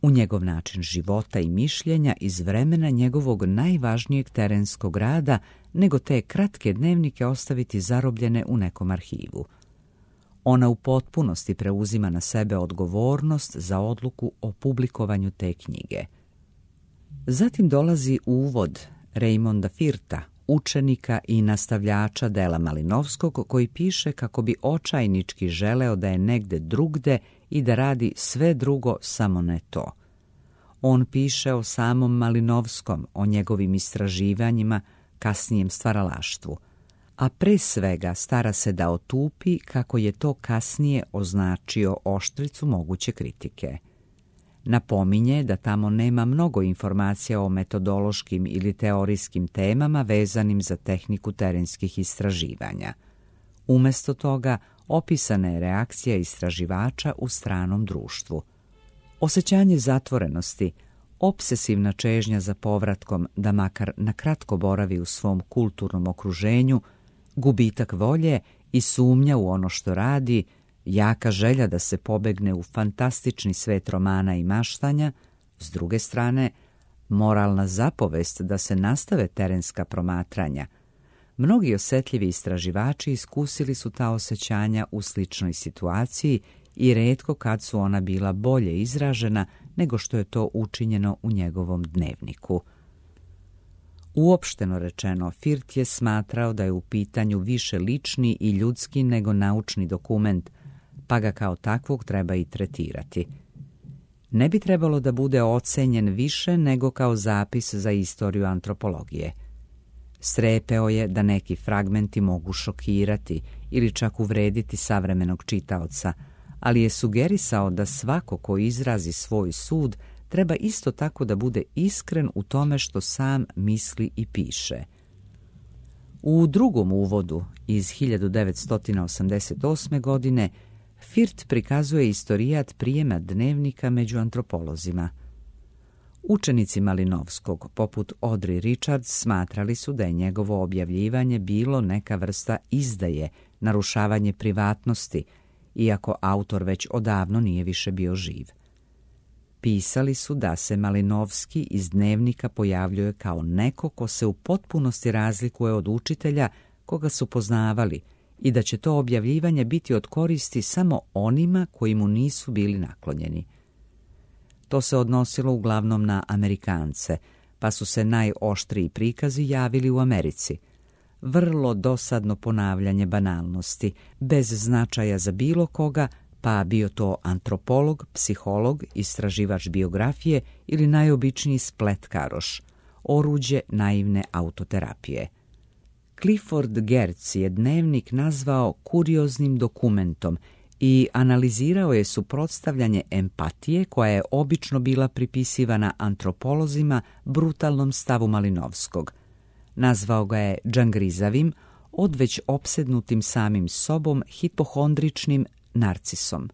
u njegov način života i mišljenja iz vremena njegovog najvažnijeg terenskog rada, nego te kratke dnevnike ostaviti zarobljene u nekom arhivu. Ona u potpunosti preuzima na sebe odgovornost za odluku o publikovanju te knjige. Zatim dolazi uvod Raymonda Firta, učenika i nastavljača dela Malinovskog, koji piše kako bi očajnički želeo da je negde drugde i da radi sve drugo, samo ne to. On piše o samom Malinovskom, o njegovim istraživanjima, kasnijem stvaralaštvu, a pre svega stara se da otupi kako je to kasnije označio oštricu moguće kritike. Napominje da tamo nema mnogo informacija o metodološkim ili teorijskim temama vezanim za tehniku terenskih istraživanja. Umesto toga, opisana je reakcija istraživača u stranom društvu. Osjećanje zatvorenosti, obsesivna čežnja za povratkom da makar na kratko boravi u svom kulturnom okruženju, gubitak volje i sumnja u ono što radi, jaka želja da se pobegne u fantastični svet romana i maštanja, s druge strane, moralna zapovest da se nastave terenska promatranja. Mnogi osjetljivi istraživači iskusili su ta osjećanja u sličnoj situaciji i retko kad su ona bila bolje izražena nego što je to učinjeno u njegovom dnevniku. Uopšteno rečeno, Firt je smatrao da je u pitanju više lični i ljudski nego naučni dokument, pa ga kao takvog treba i tretirati. Ne bi trebalo da bude ocenjen više nego kao zapis za istoriju antropologije. Strepeo je da neki fragmenti mogu šokirati ili čak uvrediti savremenog čitaoca, ali je sugerisao da svako ko izrazi svoj sud treba isto tako da bude iskren u tome što sam misli i piše. U drugom uvodu iz hiljadu devetsto osamdeset osme. godine Firth prikazuje istorijat prijema dnevnika među antropolozima. Učenici Malinovskog, poput Audrey Richards, smatrali su da je njegovo objavljivanje bilo neka vrsta izdaje, narušavanje privatnosti, iako autor već odavno nije više bio živ. Pisali su da se Malinovski iz dnevnika pojavljuje kao neko ko se u potpunosti razlikuje od učitelja koga su poznavali i da će to objavljivanje biti od koristi samo onima koji mu nisu bili naklonjeni. To se odnosilo uglavnom na Amerikance, pa su se najoštriji prikazi javili u Americi. Vrlo dosadno ponavljanje banalnosti, bez značaja za bilo koga, pa bio to antropolog, psiholog, istraživač biografije ili najobičniji spletkaroš, oruđe naivne autoterapije. Clifford Geertz je dnevnik nazvao kurioznim dokumentom i analizirao je suprotstavljanje empatije koja je obično bila pripisivana antropolozima brutalnom stavu Malinovskog. Nazvao ga je džangrizavim, odveć opsednutim samim sobom hipohondričnim narcisom.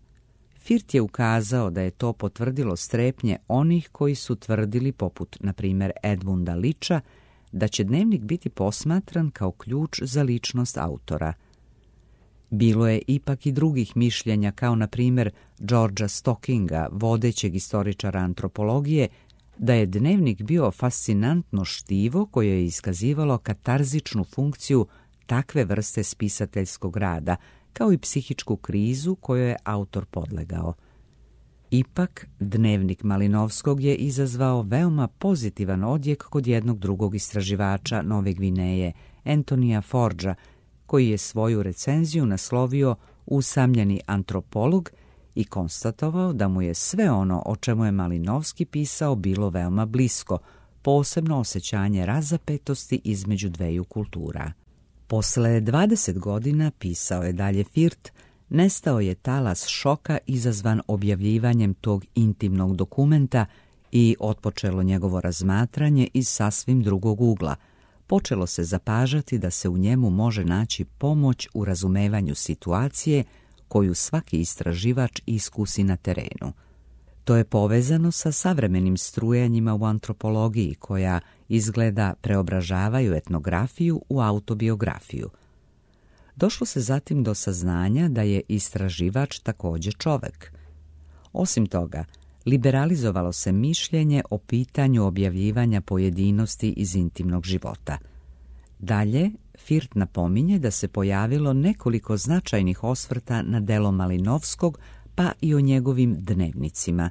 Firth je ukazao da je to potvrdilo strepnje onih koji su tvrdili, poput, na primjer, Edmunda Liča, da će dnevnik biti posmatran kao ključ za ličnost autora. Bilo je ipak i drugih mišljenja, kao na primjer Georgea Stockinga, vodećeg istoričara antropologije, da je dnevnik bio fascinantno štivo koje je iskazivalo katarzičnu funkciju takve vrste spisateljskog rada, kao i psihičku krizu kojoj je autor podlegao. Ipak, dnevnik Malinovskog je izazvao veoma pozitivan odjek kod jednog drugog istraživača Nove Gvineje, Antonija Forgea, koji je svoju recenziju naslovio Usamljeni antropolog i konstatovao da mu je sve ono o čemu je Malinovski pisao bilo veoma blisko, posebno osjećanje razapetosti između dveju kultura. Posle dvadeset godina, pisao je dalje Firth, nestao je talas šoka izazvan objavljivanjem tog intimnog dokumenta i otpočelo njegovo razmatranje iz sasvim drugog ugla. Počelo se zapažati da se u njemu može naći pomoć u razumevanju situacije koju svaki istraživač iskusi na terenu. To je povezano sa savremenim strujanjima u antropologiji koja izgleda preobražavaju etnografiju u autobiografiju. Došlo se zatim do saznanja da je istraživač također čovek. Osim toga, liberalizovalo se mišljenje o pitanju objavljivanja pojedinosti iz intimnog života. Dalje, Firth napominje da se pojavilo nekoliko značajnih osvrta na delo Malinovskog, pa i o njegovim dnevnicima.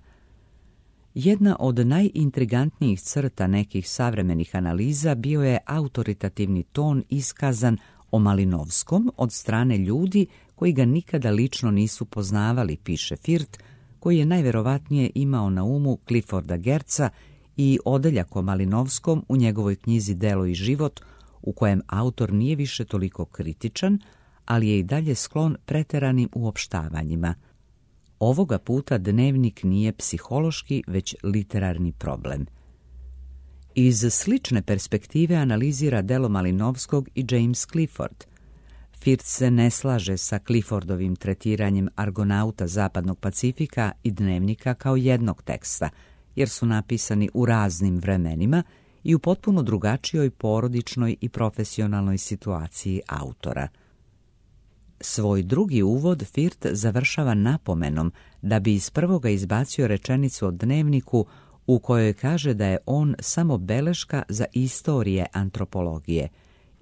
Jedna od najintrigantnijih crta nekih savremenih analiza bio je autoritativni ton iskazan o Malinovskom od strane ljudi koji ga nikada lično nisu poznavali, piše Firth, koji je najverovatnije imao na umu Clifforda Geertza i odeljak o Malinovskom u njegovoj knjizi Delo i život, u kojem autor nije više toliko kritičan, ali je i dalje sklon preteranim uopštavanjima. Ovoga puta dnevnik nije psihološki, već literarni problem. Iz slične perspektive analizira delo Malinovskog i James Clifford. Firth se ne slaže sa Cliffordovim tretiranjem Argonauta Zapadnog Pacifika i dnevnika kao jednog teksta, jer su napisani u raznim vremenima i u potpuno drugačijoj porodičnoj i profesionalnoj situaciji autora. Svoj drugi uvod Firth završava napomenom da bi iz prvoga izbacio rečenicu o dnevniku u kojoj kaže da je on samo beleška za istorije antropologije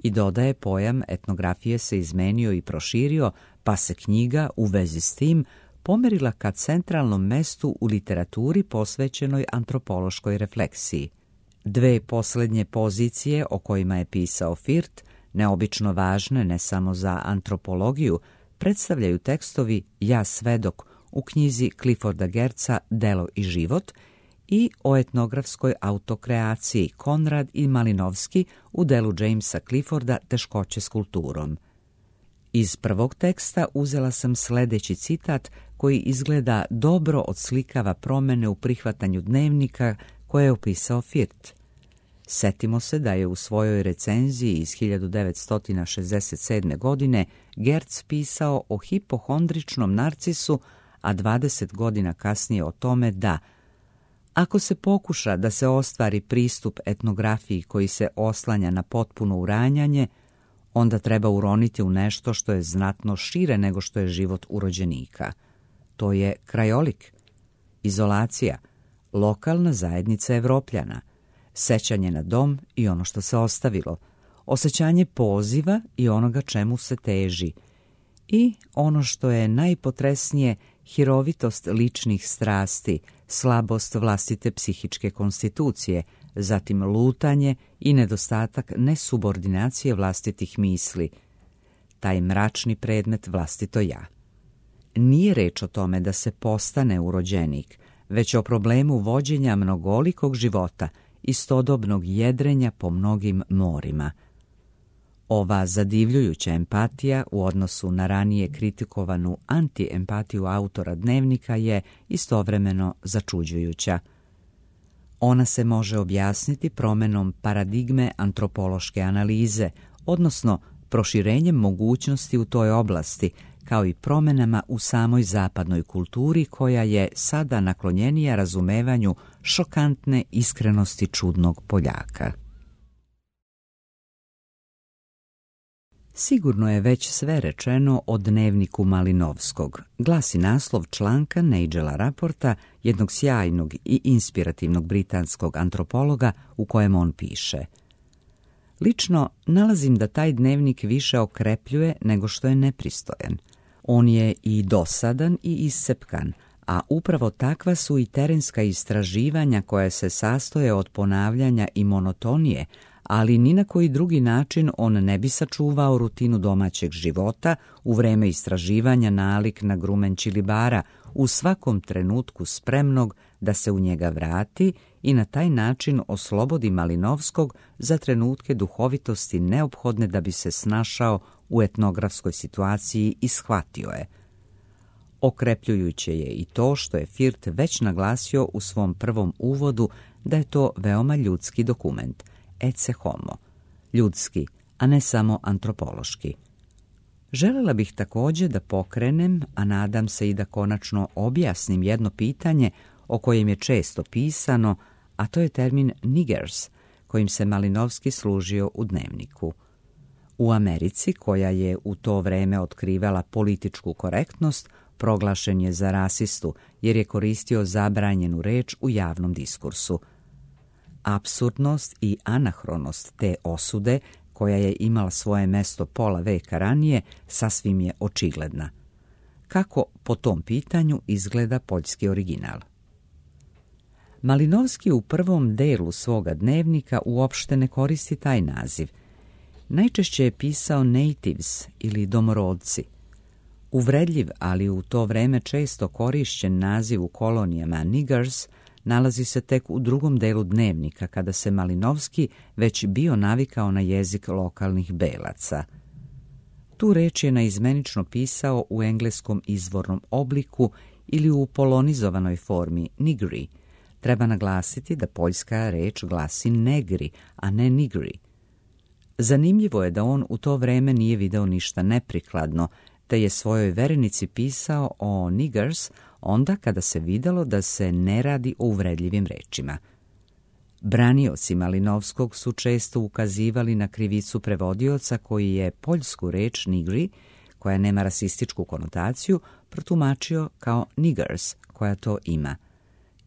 i dodaje pojam etnografije se izmenio i proširio, pa se knjiga u vezi s tim pomerila ka centralnom mestu u literaturi posvećenoj antropološkoj refleksiji. Dve posljednje pozicije o kojima je pisao Firth, neobično važne ne samo za antropologiju, predstavljaju tekstovi Ja svedok u knjizi Clifforda Geertza Delo i život i o etnografskoj autokreaciji Konrad i Malinovski u delu Jamesa Clifforda Teškoće s kulturom. Iz prvog teksta uzela sam sljedeći citat koji izgleda dobro odslikava promjene u prihvatanju dnevnika koje je opisao Firth. Setimo se da je u svojoj recenziji iz hiljadu devetsto šezdeset sedme. godine Gertz pisao o hipohondričnom narcisu, a dvadeset godina kasnije o tome da ako se pokuša da se ostvari pristup etnografiji koji se oslanja na potpuno uranjanje, onda treba uroniti u nešto što je znatno šire nego što je život urođenika. To je krajolik, izolacija, lokalna zajednica Evropljana, sećanje na dom i ono što se ostavilo, osjećanje poziva i onoga čemu se teži i ono što je najpotresnije, hirovitost ličnih strasti, slabost vlastite psihičke konstitucije, zatim lutanje i nedostatak nesubordinacije vlastitih misli, taj mračni predmet vlastito ja. Nije reč o tome da se postane urođenik, već o problemu vođenja mnogolikog života, istodobnog jedrenja po mnogim morima. Ova zadivljujuća empatija u odnosu na ranije kritikovanu antiempatiju autora dnevnika je istovremeno začuđujuća. Ona se može objasniti promjenom paradigme antropološke analize, odnosno proširenjem mogućnosti u toj oblasti, kao i promjenama u samoj zapadnoj kulturi koja je sada naklonjenija razumevanju šokantne iskrenosti čudnog Poljaka. Sigurno je već sve rečeno o dnevniku Malinovskog, glasi naslov članka Nigela Raporta, jednog sjajnog i inspirativnog britanskog antropologa, u kojem on piše: lično nalazim da taj dnevnik više okrepljuje nego što je nepristojan. On je i dosadan i iscepkan, a upravo takva su i terenska istraživanja koja se sastoje od ponavljanja i monotonije, ali ni na koji drugi način on ne bi sačuvao rutinu domaćeg života u vreme istraživanja nalik na grumen čilibara, u svakom trenutku spremnog da se u njega vrati i na taj način oslobodi Malinovskog za trenutke duhovitosti neophodne da bi se snašao u etnografskoj situaciji i shvatio je. Okrepljujuće je i to što je Firth već naglasio u svom prvom uvodu da je to veoma ljudski dokument, ecce homo, ljudski, a ne samo antropološki. Želela bih također da pokrenem, a nadam se i da konačno objasnim jedno pitanje o kojem je često pisano, a to je termin niggers, kojim se Malinovski služio u dnevniku. U Americi, koja je u to vreme otkrivala političku korektnost, proglašen je za rasistu jer je koristio zabranjenu reč u javnom diskursu. Apsurdnost i anahronost te osude, koja je imala svoje mesto pola veka ranije, sasvim je očigledna. Kako po tom pitanju izgleda poljski original? Malinovski u prvom delu svoga dnevnika uopšte ne koristi taj naziv. Najčešće je pisao natives ili domorodci. Uvredljiv, ali u to vreme često korišćen naziv u kolonijama niggers nalazi se tek u drugom delu dnevnika, kada se Malinovski već bio navikao na jezik lokalnih belaca. Tu reč je naizmenično pisao u engleskom izvornom obliku ili u polonizovanoj formi nigri. Treba naglasiti da poljska reč glasi negri, a ne nigri. Zanimljivo je da on u to vreme nije video ništa neprikladno, te je svojoj verenici pisao o niggers onda kada se videlo da se ne radi o uvredljivim rečima. Branioci Malinovskog su često ukazivali na krivicu prevodioca koji je poljsku reč nigri, koja nema rasističku konotaciju, protumačio kao niggers, koja to ima.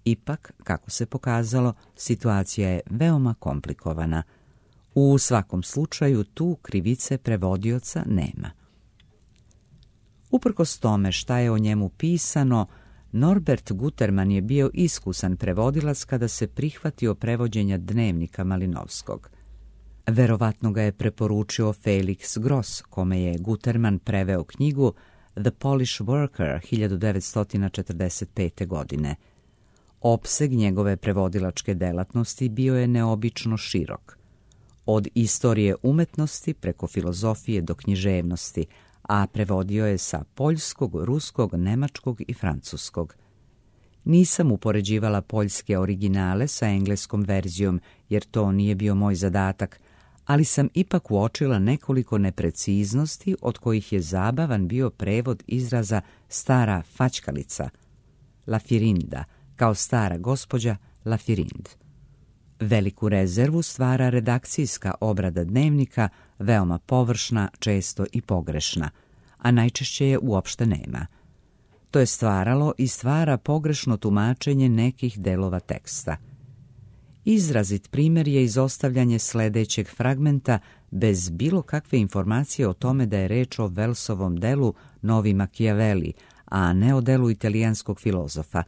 Ipak, kako se pokazalo, situacija je veoma komplikovana. U svakom slučaju tu krivice prevodioca nema. Uprkos tome šta je o njemu pisano, Norbert Guterman je bio iskusan prevodilac kada se prihvatio prevođenja dnevnika Malinovskog. Verovatno ga je preporučio Felix Gross, kome je Guterman preveo knjigu The Polish Worker hiljadu devetsto četrdeset pete. godine. Opseg njegove prevodilačke delatnosti bio je neobično širok. Od istorije umetnosti preko filozofije do književnosti, a prevodio je sa poljskog, ruskog, nemačkog i francuskog. Nisam upoređivala poljske originale sa engleskom verzijom, jer to nije bio moj zadatak, ali sam ipak uočila nekoliko nepreciznosti od kojih je zabavan bio prevod izraza stara faćkalica, lafirinda, kao stara gospođa lafirind. Veliku rezervu stvara redakcijska obrada dnevnika, veoma površna, često i pogrešna, a najčešće je uopšte nema. To je stvaralo i stvara pogrešno tumačenje nekih delova teksta. Izrazit primjer je izostavljanje sledećeg fragmenta bez bilo kakve informacije o tome da je reč o Welsovom delu Novi Machiavelli, a ne o delu italijanskog filozofa.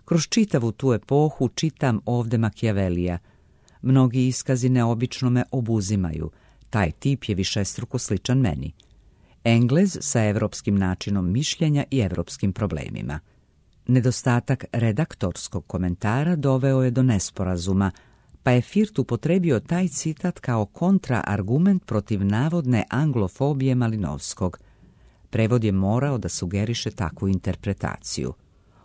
Kroz čitavu tu epohu čitam ovde Machiavellija. Mnogi iskazi neobično me obuzimaju. Taj tip je višestruko sličan meni. Englez sa evropskim načinom mišljenja i evropskim problemima. Nedostatak redaktorskog komentara doveo je do nesporazuma, pa je Firth upotrebio taj citat kao kontraargument protiv navodne anglofobije Malinovskog. Prevod je morao da sugeriše takvu interpretaciju.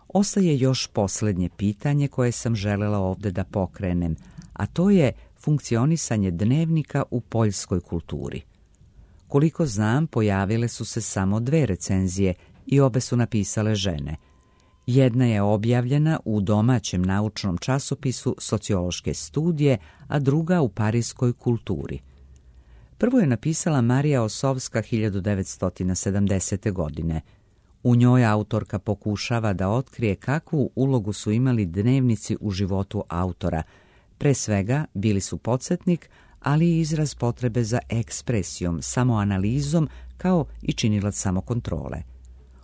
Ostaje još posljednje pitanje koje sam želela ovde da pokrenem, a to je funkcionisanje dnevnika u poljskoj kulturi. Koliko znam, pojavile su se samo dve recenzije i obe su napisale žene. Jedna je objavljena u domaćem naučnom časopisu Sociološke studije, a druga u Parijskoj kulturi. Prvo je napisala Marija Osovska hiljadu devetsto sedamdesete. godine. U njoj autorka pokušava da otkrije kakvu ulogu su imali dnevnici u životu autora. Pre svega bili su podsjetnik, ali i izraz potrebe za ekspresijom, samoanalizom, kao i činilac samokontrole.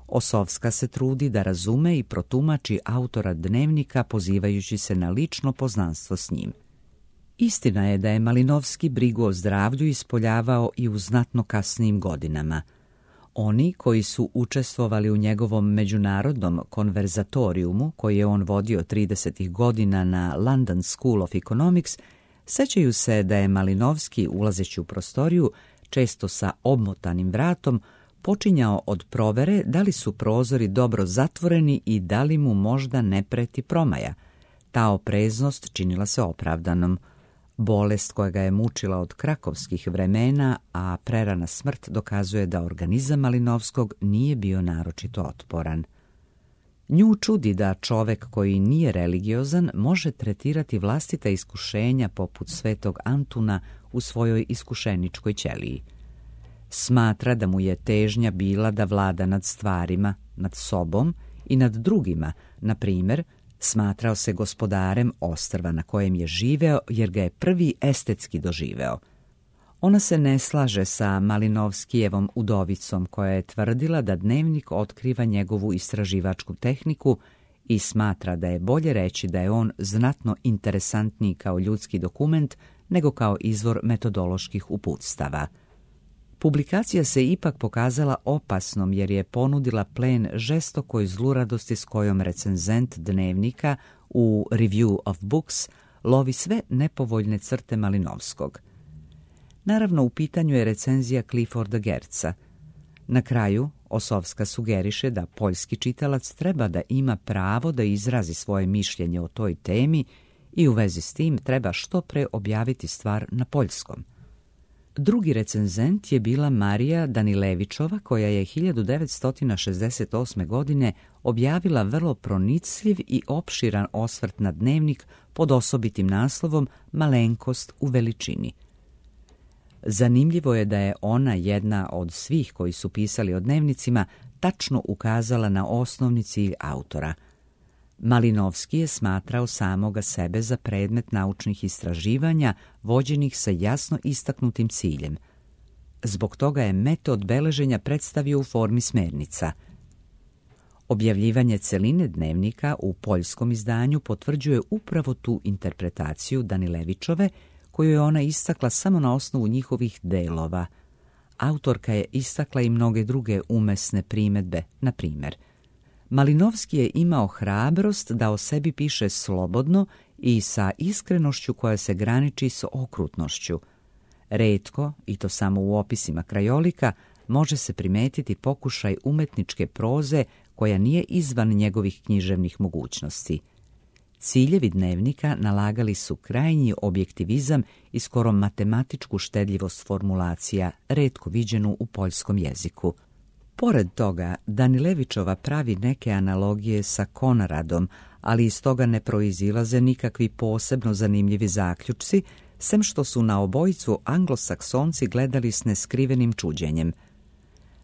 Osovska se trudi da razume i protumači autora dnevnika pozivajući se na lično poznanstvo s njim. Istina je da je Malinovski brigu o zdravlju ispoljavao i u znatno kasnijim godinama. Oni koji su učestvovali u njegovom međunarodnom konverzatorijumu, koji je on vodio tridesetih godina na London School of Economics, sećaju se da je Malinovski, ulazeći u prostoriju, često sa obmotanim vratom, počinjao od provere da li su prozori dobro zatvoreni i da li mu možda ne preti promaja. Ta opreznost činila se opravdanom. Bolest koja ga je mučila od krakovskih vremena, a prerana smrt dokazuje da organizam Malinovskog nije bio naročito otporan. Nju čudi da čovek koji nije religiozan može tretirati vlastita iskušenja poput svetog Antuna u svojoj iskušeničkoj ćeliji. Smatra da mu je težnja bila da vlada nad stvarima, nad sobom i nad drugima, na primjer, smatrao se gospodarem ostrva na kojem je živeo jer ga je prvi estetski doživeo. Ona se ne slaže sa Malinovskijevom udovicom koja je tvrdila da dnevnik otkriva njegovu istraživačku tehniku i smatra da je bolje reći da je on znatno interesantniji kao ljudski dokument nego kao izvor metodoloških uputstava. Publikacija se ipak pokazala opasnom jer je ponudila plen žestokoj zluradosti s kojom recenzent dnevnika u Review of Books lovi sve nepovoljne crte Malinovskog. Naravno, u pitanju je recenzija Clifforda Geertza. Na kraju, Osovska sugeriše da poljski čitalac treba da ima pravo da izrazi svoje mišljenje o toj temi i u vezi s tim treba što pre objaviti stvar na poljskom. Drugi recenzent je bila Marija Danilevićova, koja je hiljadu devetsto šezdeset osme. godine objavila vrlo pronicljiv i opširan osvrt na dnevnik pod osobitim naslovom Malenkost u veličini. Zanimljivo je da je ona, jedna od svih koji su pisali o dnevnicima, tačno ukazala na osnovni cilj autora. Malinovski je smatrao samoga sebe za predmet naučnih istraživanja vođenih sa jasno istaknutim ciljem. Zbog toga je metod beleženja predstavio u formi smernica. Objavljivanje celine dnevnika u poljskom izdanju potvrđuje upravo tu interpretaciju Danilevićove, koju je ona istakla samo na osnovu njihovih delova. Autorka je istakla i mnoge druge umesne primedbe, na primjer. Malinovski je imao hrabrost da o sebi piše slobodno i sa iskrenošću koja se graniči s okrutnošću. Retko, i to samo u opisima krajolika, može se primetiti pokušaj umetničke proze koja nije izvan njegovih književnih mogućnosti. Ciljevi Dnevnika nalagali su krajnji objektivizam i skoro matematičku štedljivost formulacija, retko viđenu u poljskom jeziku. Pored toga, Danilevićova pravi neke analogije sa Konaradom, ali iz toga ne proizilaze nikakvi posebno zanimljivi zaključci, sem što su na obojicu anglosaksonci gledali s neskrivenim čuđenjem.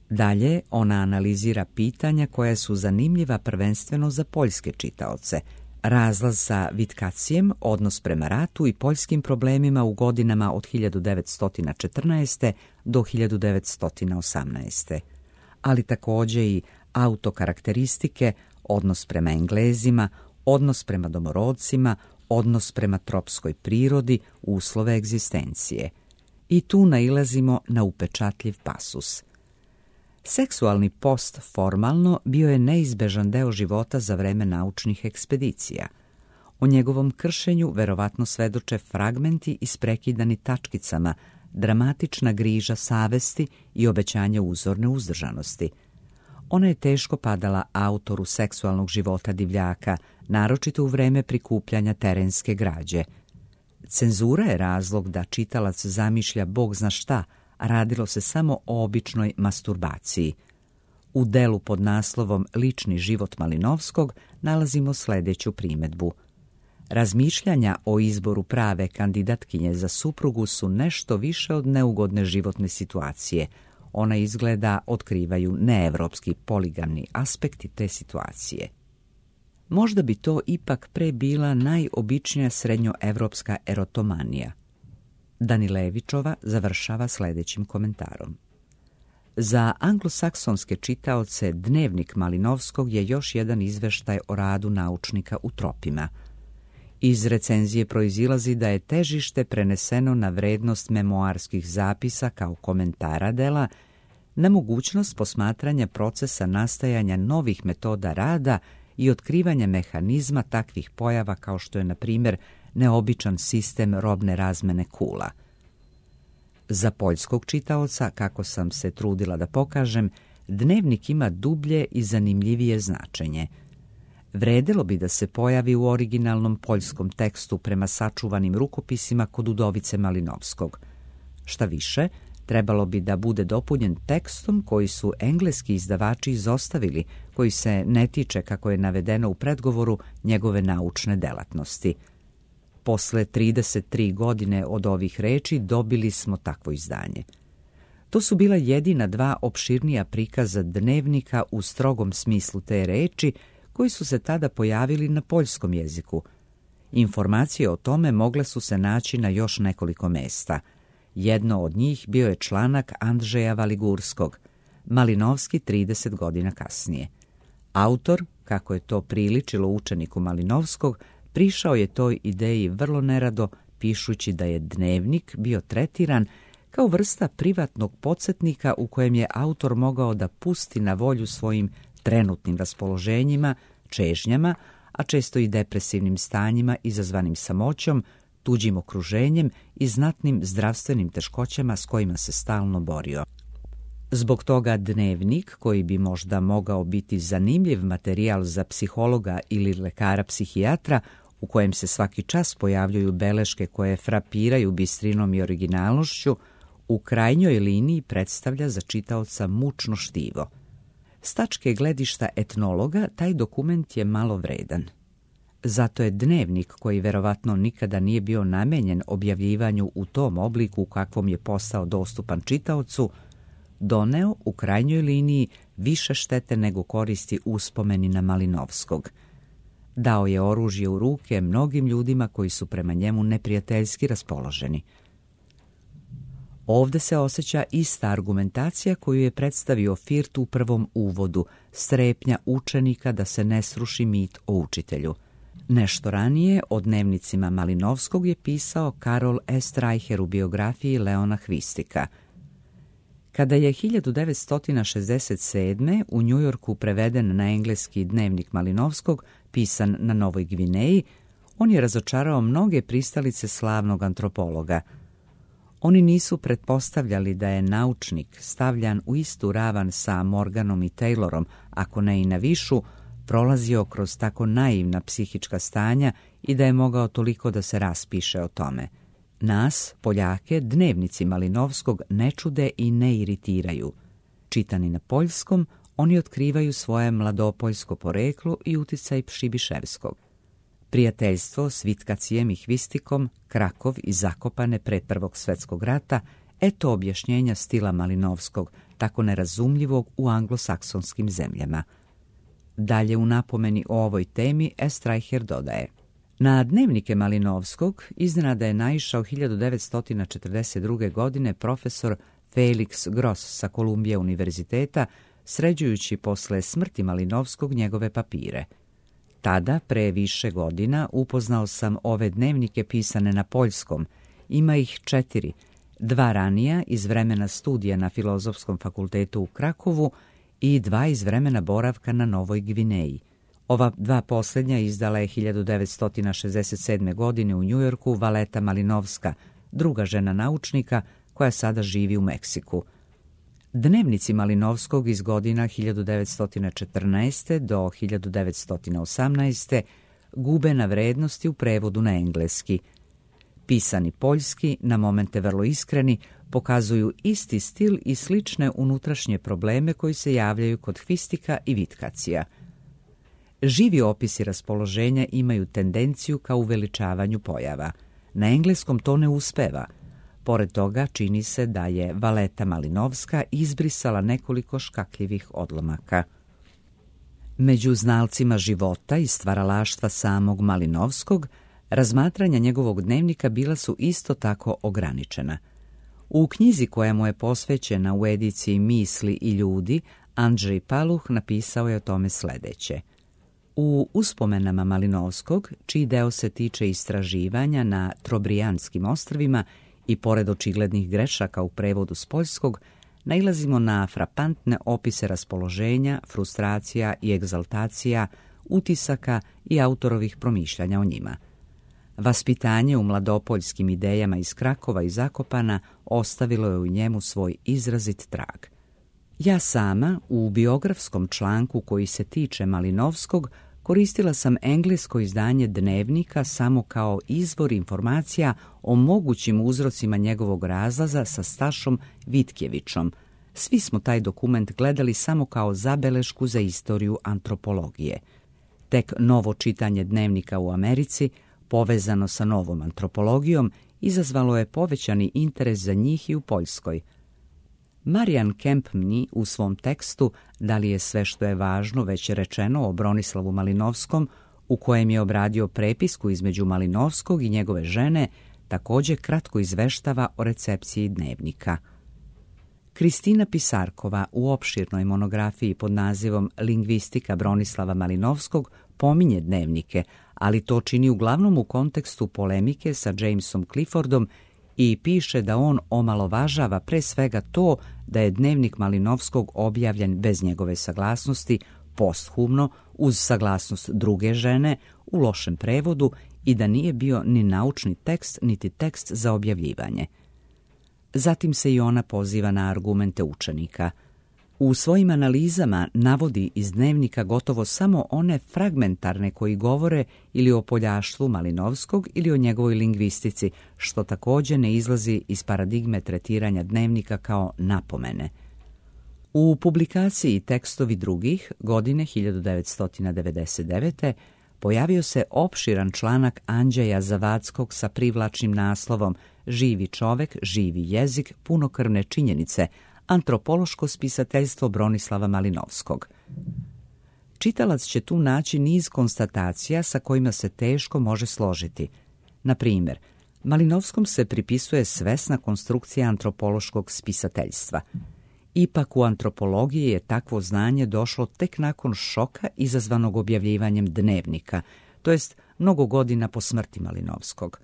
Dalje, ona analizira pitanja koja su zanimljiva prvenstveno za poljske čitaoce, razlaz sa Vitkacijem, odnos prema ratu i poljskim problemima u godinama od hiljadu devetsto četrnaeste. do hiljadu devetsto osamnaeste. Ali također i autokarakteristike, odnos prema Englezima, odnos prema domorodcima, odnos prema tropskoj prirodi, uslove egzistencije. I tu nailazimo na upečatljiv pasus. Seksualni post formalno bio je neizbežan deo života za vreme naučnih ekspedicija. O njegovom kršenju verovatno svedoče fragmenti isprekidani tačkicama, dramatična griža savesti i obećanje uzorne uzdržanosti. Ona je teško padala autoru seksualnog života divljaka, naročito u vreme prikupljanja terenske građe. Cenzura je razlog da čitalac zamišlja bog zna šta, a radilo se samo o običnoj masturbaciji. U delu pod naslovom Lični život Malinovskog nalazimo sljedeću primedbu. Razmišljanja o izboru prave kandidatkinje za suprugu su nešto više od neugodne životne situacije. Ona izgleda otkrivaju neevropski poligamni aspekti te situacije. Možda bi to ipak pre bila najobičnija srednjoevropska erotomanija. Danilevićova završava sljedećim komentarom. Za anglosaksonske čitaoce Dnevnik Malinovskog je još jedan izveštaj o radu naučnika u tropima. Iz recenzije proizilazi da je težište preneseno na vrednost memoarskih zapisa kao komentara dela, na mogućnost posmatranja procesa nastajanja novih metoda rada i otkrivanja mehanizma takvih pojava kao što je, na primjer, neobičan sistem robne razmene kula. Za poljskog čitaoca, kako sam se trudila da pokažem, Dnevnik ima dublje i zanimljivije značenje. Vredelo bi da se pojavi u originalnom poljskom tekstu prema sačuvanim rukopisima kod Udovice Malinovskog. Šta više, trebalo bi da bude dopunjen tekstom koji su engleski izdavači izostavili, koji se ne tiče, kako je navedeno u predgovoru, njegove naučne delatnosti. Posle trideset tri godine od ovih reči dobili smo takvo izdanje. To su bila jedina dva opširnija prikaza Dnevnika u strogom smislu te reči, koji su se tada pojavili na poljskom jeziku. Informacije o tome mogle su se naći na još nekoliko mesta. Jedno od njih bio je članak Andrzeja Valigurskog, Malinovski trideset godina kasnije. Autor, kako je to priličilo učeniku Malinovskog, prišao je toj ideji vrlo nerado, pišući da je Dnevnik bio tretiran kao vrsta privatnog podsjetnika u kojem je autor mogao da pusti na volju svojim trenutnim raspoloženjima, čežnjama, a često i depresivnim stanjima izazvanim samoćom, tuđim okruženjem i znatnim zdravstvenim teškoćama s kojima se stalno borio. Zbog toga Dnevnik, koji bi možda mogao biti zanimljiv materijal za psihologa ili lekara psihijatra, u kojem se svaki čas pojavljuju beleške koje frapiraju bistrinom i originalnošću, u krajnjoj liniji predstavlja za čitaoca mučno štivo. S tačke gledišta etnologa, taj dokument je malo vredan. Zato je Dnevnik, koji verovatno nikada nije bio namenjen objavljivanju u tom obliku u kakvom je postao dostupan čitaocu, doneo u krajnjoj liniji više štete nego koristi uspomeni na Malinovskog. Dao je oružje u ruke mnogim ljudima koji su prema njemu neprijateljski raspoloženi. Ovde se osjeća ista argumentacija koju je predstavio Firt u prvom uvodu, strepnja učenika da se ne sruši mit o učitelju. Nešto ranije o dnevnicima Malinovskog je pisao Karol S. Reicher u biografiji Leona Hvistika. Kada je hiljadu devetsto šezdeset sedme. u Njujorku preveden na engleski Dnevnik Malinovskog, pisan na Novoj Gvineji, on je razočarao mnoge pristalice slavnog antropologa. Oni nisu pretpostavljali da je naučnik stavljan u istu ravan sa Morganom i Taylorom, ako ne i na višu, prolazio kroz tako naivna psihička stanja i da je mogao toliko da se raspiše o tome. Nas, Poljake, dnevnici Malinovskog ne čude i ne iritiraju. Čitani na poljskom, oni otkrivaju svoje mladopoljsko poreklo i uticaj Pšibiševskog. Prijateljstvo s Vitkacijem i Hvistikom, Krakov i Zakopane pre Prvog svjetskog rata, eto objašnjenja stila Malinovskog, tako nerazumljivog u anglosaksonskim zemljama. Dalje u napomeni o ovoj temi Estreicher dodaje: na dnevnike Malinovskog iznenada je naišao hiljadu devetsto četrdeset druge. godine profesor Felix Gross sa Kolumbije univerziteta, sređujući posle smrti Malinovskog njegove papire. Tada, pre više godina, upoznao sam ove dnevnike pisane na poljskom. Ima ih četiri, dva ranija iz vremena studija na Filozofskom fakultetu u Krakovu i dva iz vremena boravka na Novoj Gvineji. Ova dva posljednja izdala je hiljadu devetsto šezdeset sedme. godine u Njujorku Valeta Malinovska, druga žena naučnika koja sada živi u Meksiku. Dnevnici Malinovskog iz godina hiljadu devetsto četrnaeste. do hiljadu devetsto osamnaeste. gube na vrednosti u prevodu na engleski. Pisani poljski, na momente vrlo iskreni, pokazuju isti stil i slične unutrašnje probleme koji se javljaju kod Hvistika i Vitkacija. Živi opisi raspoloženja imaju tendenciju ka uveličavanju pojava. Na engleskom to ne uspeva. Pored toga čini se da je Valeta Malinovska izbrisala nekoliko škakljivih odlomaka. Među znalcima života i stvaralaštva samog Malinovskog, razmatranja njegovog dnevnika bila su isto tako ograničena. U knjizi koja mu je posvećena u ediciji Misli i ljudi, Andrzej Paluh napisao je o tome sledeće. U uspomenama Malinovskog, čiji deo se tiče istraživanja na Trobrijanskim ostrvima i pored očiglednih grešaka u prevodu s poljskog, nailazimo na frapantne opise raspoloženja, frustracija i egzaltacija, utisaka i autorovih promišljanja o njima. Vaspitanje u mladopoljskim idejama iz Krakova i Zakopana ostavilo je u njemu svoj izrazit trag. Ja sama, u biografskom članku koji se tiče Malinovskog, koristila sam englesko izdanje dnevnika samo kao izvor informacija o mogućim uzrocima njegovog razlaza sa Stašom Vitkjevićom. Svi smo taj dokument gledali samo kao zabelešku za istoriju antropologije. Tek novo čitanje dnevnika u Americi, povezano sa novom antropologijom, izazvalo je povećani interes za njih i u Poljskoj. Marian Kempmni u svom tekstu Da li je sve što je važno već rečeno o Bronislavu Malinovskom, u kojem je obradio prepisku između Malinovskog i njegove žene, također kratko izveštava o recepciji dnevnika. Kristina Pisarkova u opširnoj monografiji pod nazivom Lingvistika Bronislava Malinovskog pominje dnevnike, ali to čini uglavnom u kontekstu polemike sa Jamesom Cliffordom i piše da on omalovažava pre svega to da je dnevnik Malinovskog objavljen bez njegove saglasnosti, posthumno, uz saglasnost druge žene, u lošem prevodu i da nije bio ni naučni tekst, niti tekst za objavljivanje. Zatim se i ona poziva na argumente učenika. U svojim analizama navodi iz dnevnika gotovo samo one fragmentarne koji govore ili o poljaštvu Malinovskog ili o njegovoj lingvistici, što također ne izlazi iz paradigme tretiranja dnevnika kao napomene. U publikaciji Tekstovi drugih godine hiljadu devetsto devedeset devete. pojavio se opširan članak Andžeja Zavackog sa privlačnim naslovom Živi čovek, živi jezik, punokrvne činjenice, antropološko spisateljstvo Bronislava Malinovskog. Čitalac će tu naći niz konstatacija sa kojima se teško može složiti. Na primjer, Malinovskom se pripisuje svesna konstrukcija antropološkog spisateljstva. Ipak u antropologiji je takvo znanje došlo tek nakon šoka izazvanog objavljivanjem dnevnika, to jest mnogo godina po smrti Malinovskog.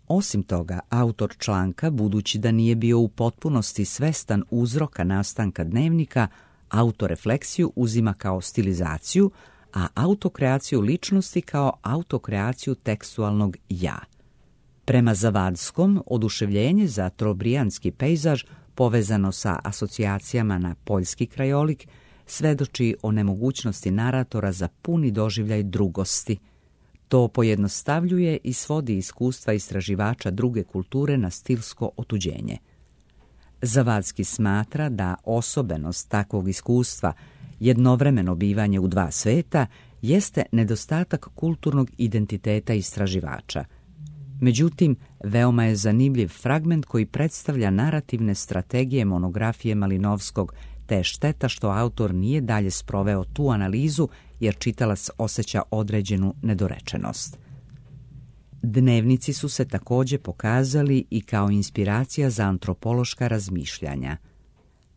Osim toga, autor članka, budući da nije bio u potpunosti svestan uzroka nastanka dnevnika, autorefleksiju uzima kao stilizaciju, a autokreaciju ličnosti kao autokreaciju tekstualnog ja. Prema Zavadskom, oduševljenje za trobrijanski pejzaž povezano sa asocijacijama na poljski krajolik svedoči o nemogućnosti naratora za puni doživljaj drugosti. To pojednostavljuje i svodi iskustva istraživača druge kulture na stilsko otuđenje. Zavadski smatra da osobenost takvog iskustva, jednovremeno bivanje u dva sveta, jeste nedostatak kulturnog identiteta istraživača. Međutim, veoma je zanimljiv fragment koji predstavlja narativne strategije monografije Malinovskog, te je šteta što autor nije dalje sproveo tu analizu jer čitalac osjeća određenu nedorečenost. Dnevnici su se također pokazali i kao inspiracija za antropološka razmišljanja.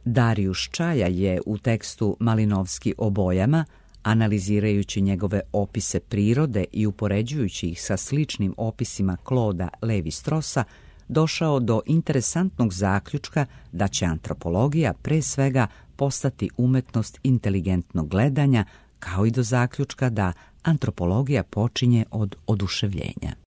Darijuš Čaja je u tekstu Malinovski o bojama, analizirajući njegove opise prirode i upoređujući ih sa sličnim opisima Clauda Levi-Strossa, došao do interesantnog zaključka da će antropologija pre svega postati umetnost inteligentnog gledanja, kao i do zaključka da antropologija počinje od oduševljenja.